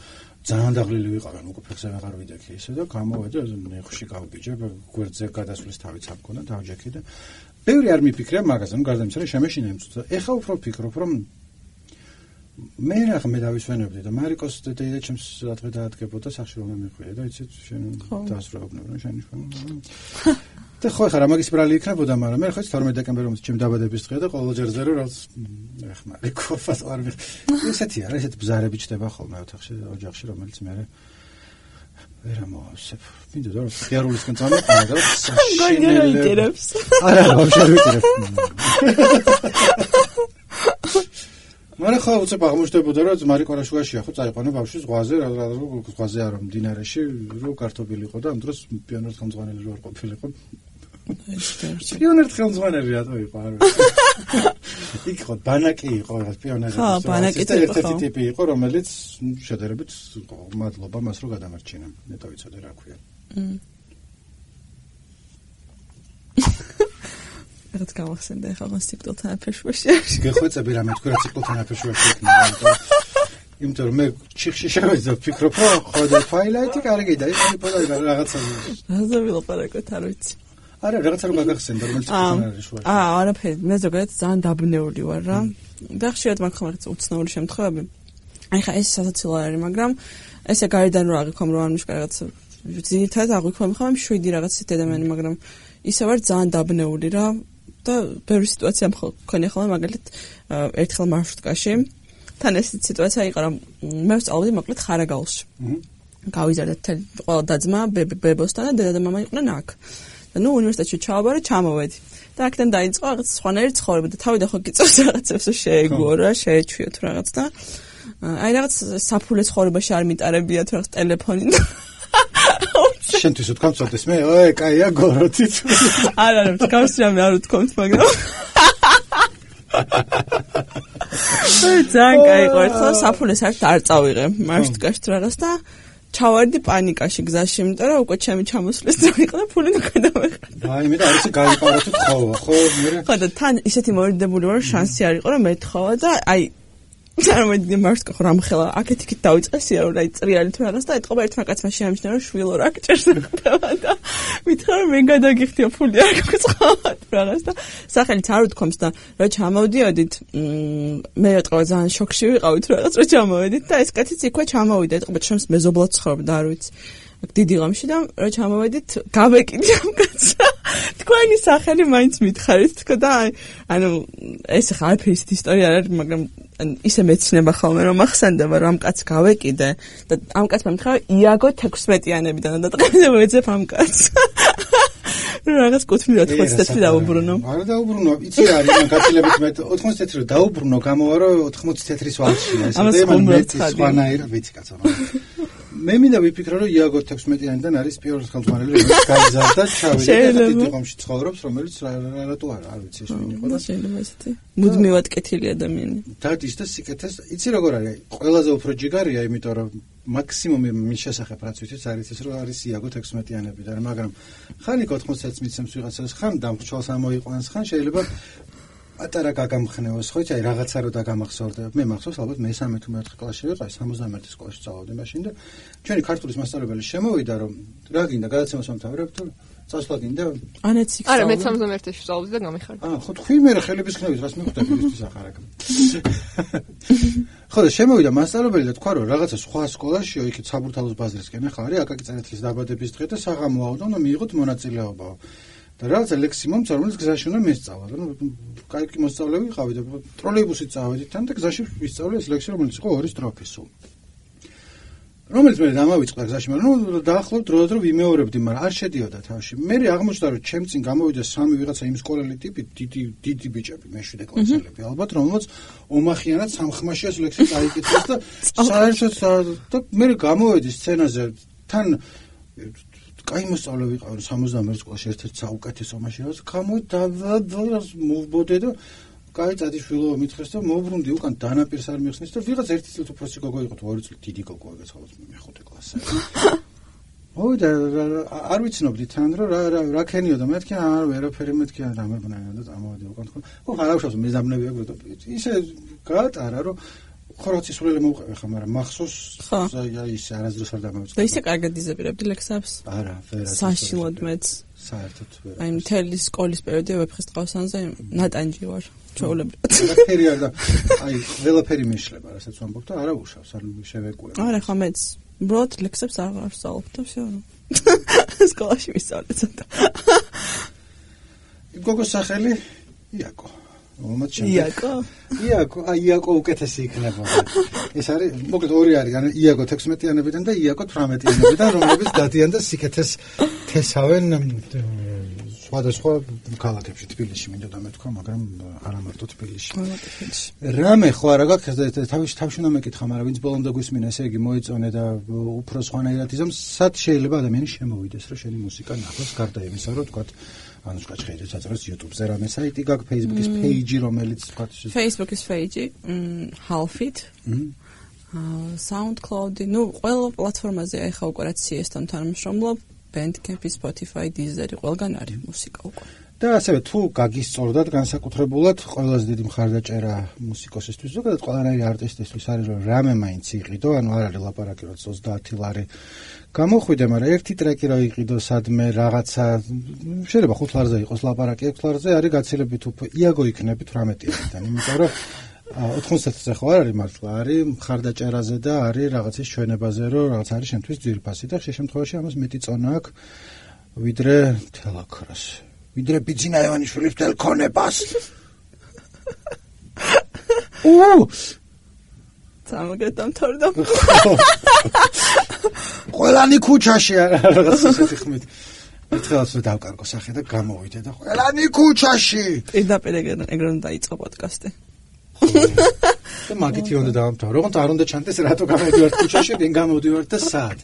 ძალიან დაღლილი ვიყავენ, უკვე ფეხზე ვეღარ ვიდექი ისე და გამოვედა ნეხში გავბიჯე, გვერდზე გადასვლის თავიც ამქონა, დავჯექი და ბევრი არ მიფიქრია მაგაზე, ნუ გარდა იმისა, რომ შემეშინა იმწუცა. ეხა უფრო ვფიქრობ, რომ მე რა მე დავისვენებდი და მარიკოს დედა ჩემს ადღე დაადგებოდა სახში რომ მეხვია და იცით შენ დაასრულებდნენ რომ შენი შენ და ხო ხარ მაგის ბრალი იქნებოდა მაგრამ მე ხო თორმეტ დეკემბერს ჩემ დაბადების დღეა და ყოველ ჯერზე რომ რაც ეხ მარიკო ფას არ ვიხ ესეთი არა ესეთი ბზარები ჩდება ხოლმე ოთახში ოჯახში რომელიც მე ვერ ამოვსებ მინდა რომ ხიარულისკენ წამოყარა და საშინელებს არა არა ვაფშე ვიტირებ მაგრამ ხო უცებ აღმოჩნდებოდა რომ მარიკო რაშუაშია ხო წაიყვანა ბავშვი ზღვაზე რა რა ზღვაზე არა მდინარეში რო კარტოფილი იყო და ამ დროს პიონერთა ხელმძღვანელი რო არ ყოფილიყო პიონერთა ხელმძღვანელი რატო იყო არ ვიცი იქ ხო ბანაკი იყო რა პიონერების ხო ბანაკი ერთ-ერთი ტიპი იყო რომელიც შედარებით მადლობა მას რო გადამარჩინა ნეტო ვიცოდე რა ქვია რაც გავახსენდა ახლა მას ციკლთან აფეშვაში. გეხვეწები რამე თქვი რა ციკლთან აფეშვაში იქნება. იმიტომ რომ მე ჩიხში შევეძა ვფიქრობ რომ ხოდა ფაილაიტი კარგი და ის პოდაი რაღაცა. რაზე ვილაპარაკოთ არ ვიცი. არა რაღაცა რომ გაგახსენდა რომელიც ციკლთან არის შუაში. აა არაფერი მე ზოგადად ძალიან დაბნეული ვარ რა. და ხშირად მაგ ხომ რაღაც უცნაური შემთხვევები. აი ხა ეს სასაცილო არის მაგრამ ესე გარედან რო აღიქვამ რომ ანუშკა რაღაც ძირითადად აღიქვამ ხომ შვიდი რაღაც დედამენი მაგრამ ისე ვარ ძალიან დაბნეული რა. და ბევრი სიტუაცია მქონია ხოლმე მაგალითად ერთხელ მარშრუტკაში თან ეს სიტუაცია იყო რომ მე ვსწავლობდი მოკლედ ხარაგაულში. გავიზარდა ყველა დაძმა ბებოსთან და დედა და მამა იყვნენ აქ. და ნუ უნივერსიტეტში ჩავაბარე, ჩამოვედი. და აქედან დაიწყო რაღაც სხვანაირი ცხოვრება და თავი და ხო გიწევს რაღაცებს შეეგო რა, შეეჩვიოთ რაღაც და აი რაღაც საფულე ცხოვრებაში არ მიტარებიათ რაღაც ტელეფონი და შენთვის ვთქვამ წოდეს მე, ой, კაია გოროთით. არა, არა, თქვენს რამე არ ვთქვამთ, მაგრამ აი ძალიან კაი ყო, ხო, საფულეს არ არ წავიღე, მარშრუტკაში რაღაც და ჩავარდი პანიკაში გზაში, იმიტომ რომ უკვე ჩემი ჩამოსვლის ძა იყო და ფული ნაკადავეხა. აი მე და არის გაიყაროთ თხოვა, ხო, მე. ხო და თან ისეთი მორიდებული ვარ, შანსი არ იყო რომ მეთხოვა და აი წარმოიდგინე მარშრუტკა ხო რამხელა აქეთ-იქით დავიწყესია რომ აი წრიალი თუ რაღაც და ეთყობა ერთმა კაცმა შეამჩნია რომ შვილო რა გჭერს ხდება და მითხრა რომ მე გადაგიხდია ფული არ გაქვს ხავად რაღაც და სახელით არ ვთქვამს და რა ჩამოვდიოდით მე ეთყობა ძალიან შოქში ვიყავით რაღაც რა ჩამოვედით და ეს კაციც იქვე ჩამოვიდა ეთყობა ჩემს მეზობლად ცხოვრობდა არ ვიცი დიდი ღამში და რა ჩამოვედით გავეკიდი ამ კაცს თქვენი სახელი მაინც მითხარით თქო და ანუ ეს ხა არაფერი ისტორია არ არის მაგრამ ისე მეცნება ხოლმე რომ ახსენდება რომ ამ კაცს გავეკიდე და ამ კაცმა მითხრა იაგო თექვსმეტიანებიდან და დაწყებდა ეძებ ამ კაცს რაღაც კუთვნილად ოცდაათი დაუბრუნო არა დაუბრუნო იცი რა არის მან გაცილებით მე ოთხმოცდაათი რო დაუბრუნო გამოვარო ოთხმოცდაათის ვარშია ეს და მან მეტი სხვანაირად ვიცი კაცო მე მინდა ვიფიქრო რომ იაგო თექვსმეტიანიდან არის პირველი ხელმძღვანელი რომელიც გაიზარდა ჩავიდა და დიდი ღამში ცხოვრობს რომელიც რატო არა არ ვიცი ეს ვინ იყო და შეიძლება ესეთი მუდმივად კეთილი ადამიანი დადის და სიკეთეს იცი როგორ არის ყველაზე უფრო ჯიგარია იმიტომ რომ მაქსიმუმი მის შესახებ რაც ვიცით არის ეს რომ არის იაგო თექვსმეტიანებიდან მაგრამ ხან იქ ოთხმოცდაათს მიცემს ვიღაცას ხან დამრჩოლს ამოიყვანს ხან შეიძლება ატარა გაგამხნევოს ხო იცი რაღაცა რო დაგამახსოვრდა მე მახსოვს ალბათ მე მესამე თუ მეოთხე კლასში ვიყავ სამოცდამეერთე სკოლაში სწავლობდი მაშინ და ჩვენი ქართულის მასწავლებელი შემოვიდა რომ რა გინდა გადაცემას ამთავრებ თუ წასვლა გინდა ანეც იქ არა მე სამოცდამეერთეში ვსწავლობდი და გამიხარდა აა ხო თქვი მე ხელების ხნევით რას მიხვდები ისთვის ახარაკ ხო და შემოვიდა მასწავლებელი და თქვა რომ რაღაცა სხვა სკოლაშიო იქით საბურთალოს ბაზრისკენ ახლა არის აკაკი წერეთლის დაბადების დღე და საღამო ავდა და მიიღოთ მონაწილეობა და რაღაცა ლექსი მომცა რომელიც გზაში უნდა მესწავლა და კაი მოსწავლე ვიყავი და ტროლეიბუსით წავედით თან და გზაში ვისწავლე ეს ლექსი რომელიც იყო ორი სტროფის სულ რომელიც მე დამავიწყდა გზაში მაგრამ ნუ დაახლოებით დროდადრო ვიმეორებდი მაგრამ არ შედიოდა თავში მე აღმოჩნდა რომ ჩემ წინ გამოვიდა სამი ვიღაცა იმ სკოლელი ტიპი დიდი დიდი ბიჭები მეშვიდე კლასელები ალბათ რომელსაც ომახიანად სამხმაში ეს ლექსი წაიკითხეს და საერთოდ და მე გამოვედი სცენაზე თან კაი მოსწავლე ვიყავ სამოცდამეერთე სკოლაში ერთ-ერთი საუკეთესო მაშინ რაც გამოდი და მოვბოდე და კაი წადიშვილო მითხეს და მოვბრუნდი უკან დანაპირს არ მიხსნის და ვიღაც ერთი წელი უფროსი გოგო იყო თუ ორი წელი დიდი გოგო ეგეც ხოლმე მეხუთე კლასში ой და არ ვიცნობდი თან რომ რა რა რა ქენიო და მეთქი არ ვერაფერი მეთქი და ამერბნაიო და წამოვედი უკან ხო ხო ხარავშავს მეზაბნები აქვს და ისე გაატარა რომ ხო რაც ისვრელი მოვყევი ხა მაგრამ მახსოვს აი ის არასდროს არ დამოვიწყდა და ისე კარგად იზებირებდი ლექსებს არა ვერა საშინლად მეც საერთოდ ვერა აი მთელი სკოლის პერიოდი ვეფხის ტყავსანზე ნატანჯი ვარ ჩაოლებრივად ყველაფერი არ და აი ყველაფერი მეშლება რასაც ვამბობ და არა უშავს არ შევეკუე არა ხა მეც უბრალოდ ლექსებს არ ვსწავლობ და всё სკოლაში ვისწავლე ცოტა გოგოს სახელი იაკო იაკო იაკო აი იაკო უკეთესი იქნება ეს არის მოკლედ ორი არის ანუ იაკო თექვსმეტიანებიდან და იაკო თვრამეტიანებიდან რომლებიც დადიან და სიკეთეს თესავენ სხვადასხვა ქალაქებში თბილისში მინდოდა მეთქვა მაგრამ არა მარტო თბილისში რამე ხო არა გაქვს თავში თავში უნდა მეკითხა მაგრამ ვინც ბოლომდე გვისმინა ესე იგი მოიწონე და უფრო სხვანაირად იზამს სად შეიძლება ადამიანი შემოვიდეს რომ შენი მუსიკა ნახოს გარდა იმისა რომ თქვა ანუ შეხედეთ საწყეს YouTube-ზე რამე საიტი გაქვს Facebook-ის page-ი რომელიც თქვა Facebook-ის page-ი half-it SoundCloud-ი ნუ ყველა პლატფორმაზე ახლა უკვე რაც C S-თან თანამშრომლობ Bandcamp-ი Spotify Deezer-ი ყველგან არის მუსიკა უკვე და ასევე თუ გაგისწორდათ განსაკუთრებულად ყველაზე დიდი მხარდაჭერა მუსიკოსისთვის ზოგადად ყველანაირი არტისტისთვის არის რომ რამე მაინც იყიდო ანუ არ არის ლაპარაკი რომ ოცდაათი ლარი გამოხვიდე მაგრამ ერთი ტრეკი რა იყიდო სადმე რაღაცა შეიძლება ხუთ ლარზე იყოს ლაპარაკი ექვს ლარზე არის გაცილებით უფრო იაგო იქნები თვრამეტიანიდან იმიტომ რომ ოთხმოცდაათზე ხო არ არის მართლა არის მხარდაჭერაზე და არის რაღაცის ჩვენებაზე რომ რაღაც არის შენთვის ძვირფასი და ხშირ შემთხვევაში ამას მეტი წონა აქვს ვიდრე თელაქრას ვიდრე ბიძინა ევანიშვილის თელქონებას უ სამაგრად დამთავრდა. ყველანი ქუჩაში რაღაც ისეთი ხმით. ერთხელაც დავკარგო სახე და გამოვიდე და ყველანი ქუჩაში. პირდაპირ ეგრე უნდა დაიწყო პოდკასტი. და მაგითი უნდა დავამთავრო. როგორც არ უნდა ჩანდეს რატო გამოდივართ ქუჩაში, ვინ გამოდივართ და სად.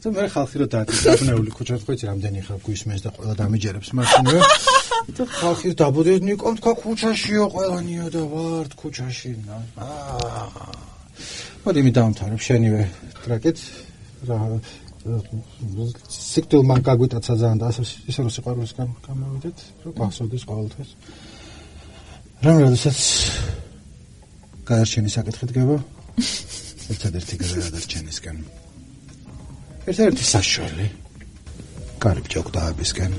და მე ხალხი რო დაადნეული ქუჩაში ხო იცი რამდენი ხალხი გვისმენს და ყველა დამიჯერებს მაშინვე. და ხალხი დაბოდეს ნიკომ თქვა ქუჩაშიო ყველანიო და ვართ ქუჩაში. აა. მოდი მე დავამთავრებ შენივე ტრეკით. რა სიკვდილ მან გაგვიტაცა ძალიან და ასე ისე რომ სიყვარულისგან გამოვიდეთ, რომ გახსოვდეს ყოველთვის. რომ როდესაც გადარჩენის საკითხი დგება, ერთადერთი გადარჩენისგან. ერთადერთი საშუალო კარიბ ჯოგდაებისგან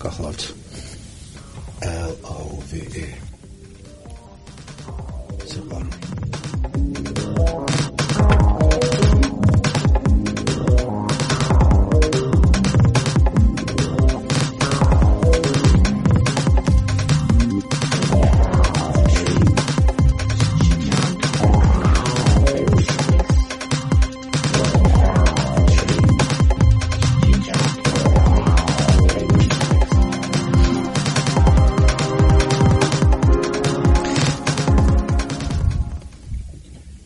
გახლავთ L O V E. სიყვარული.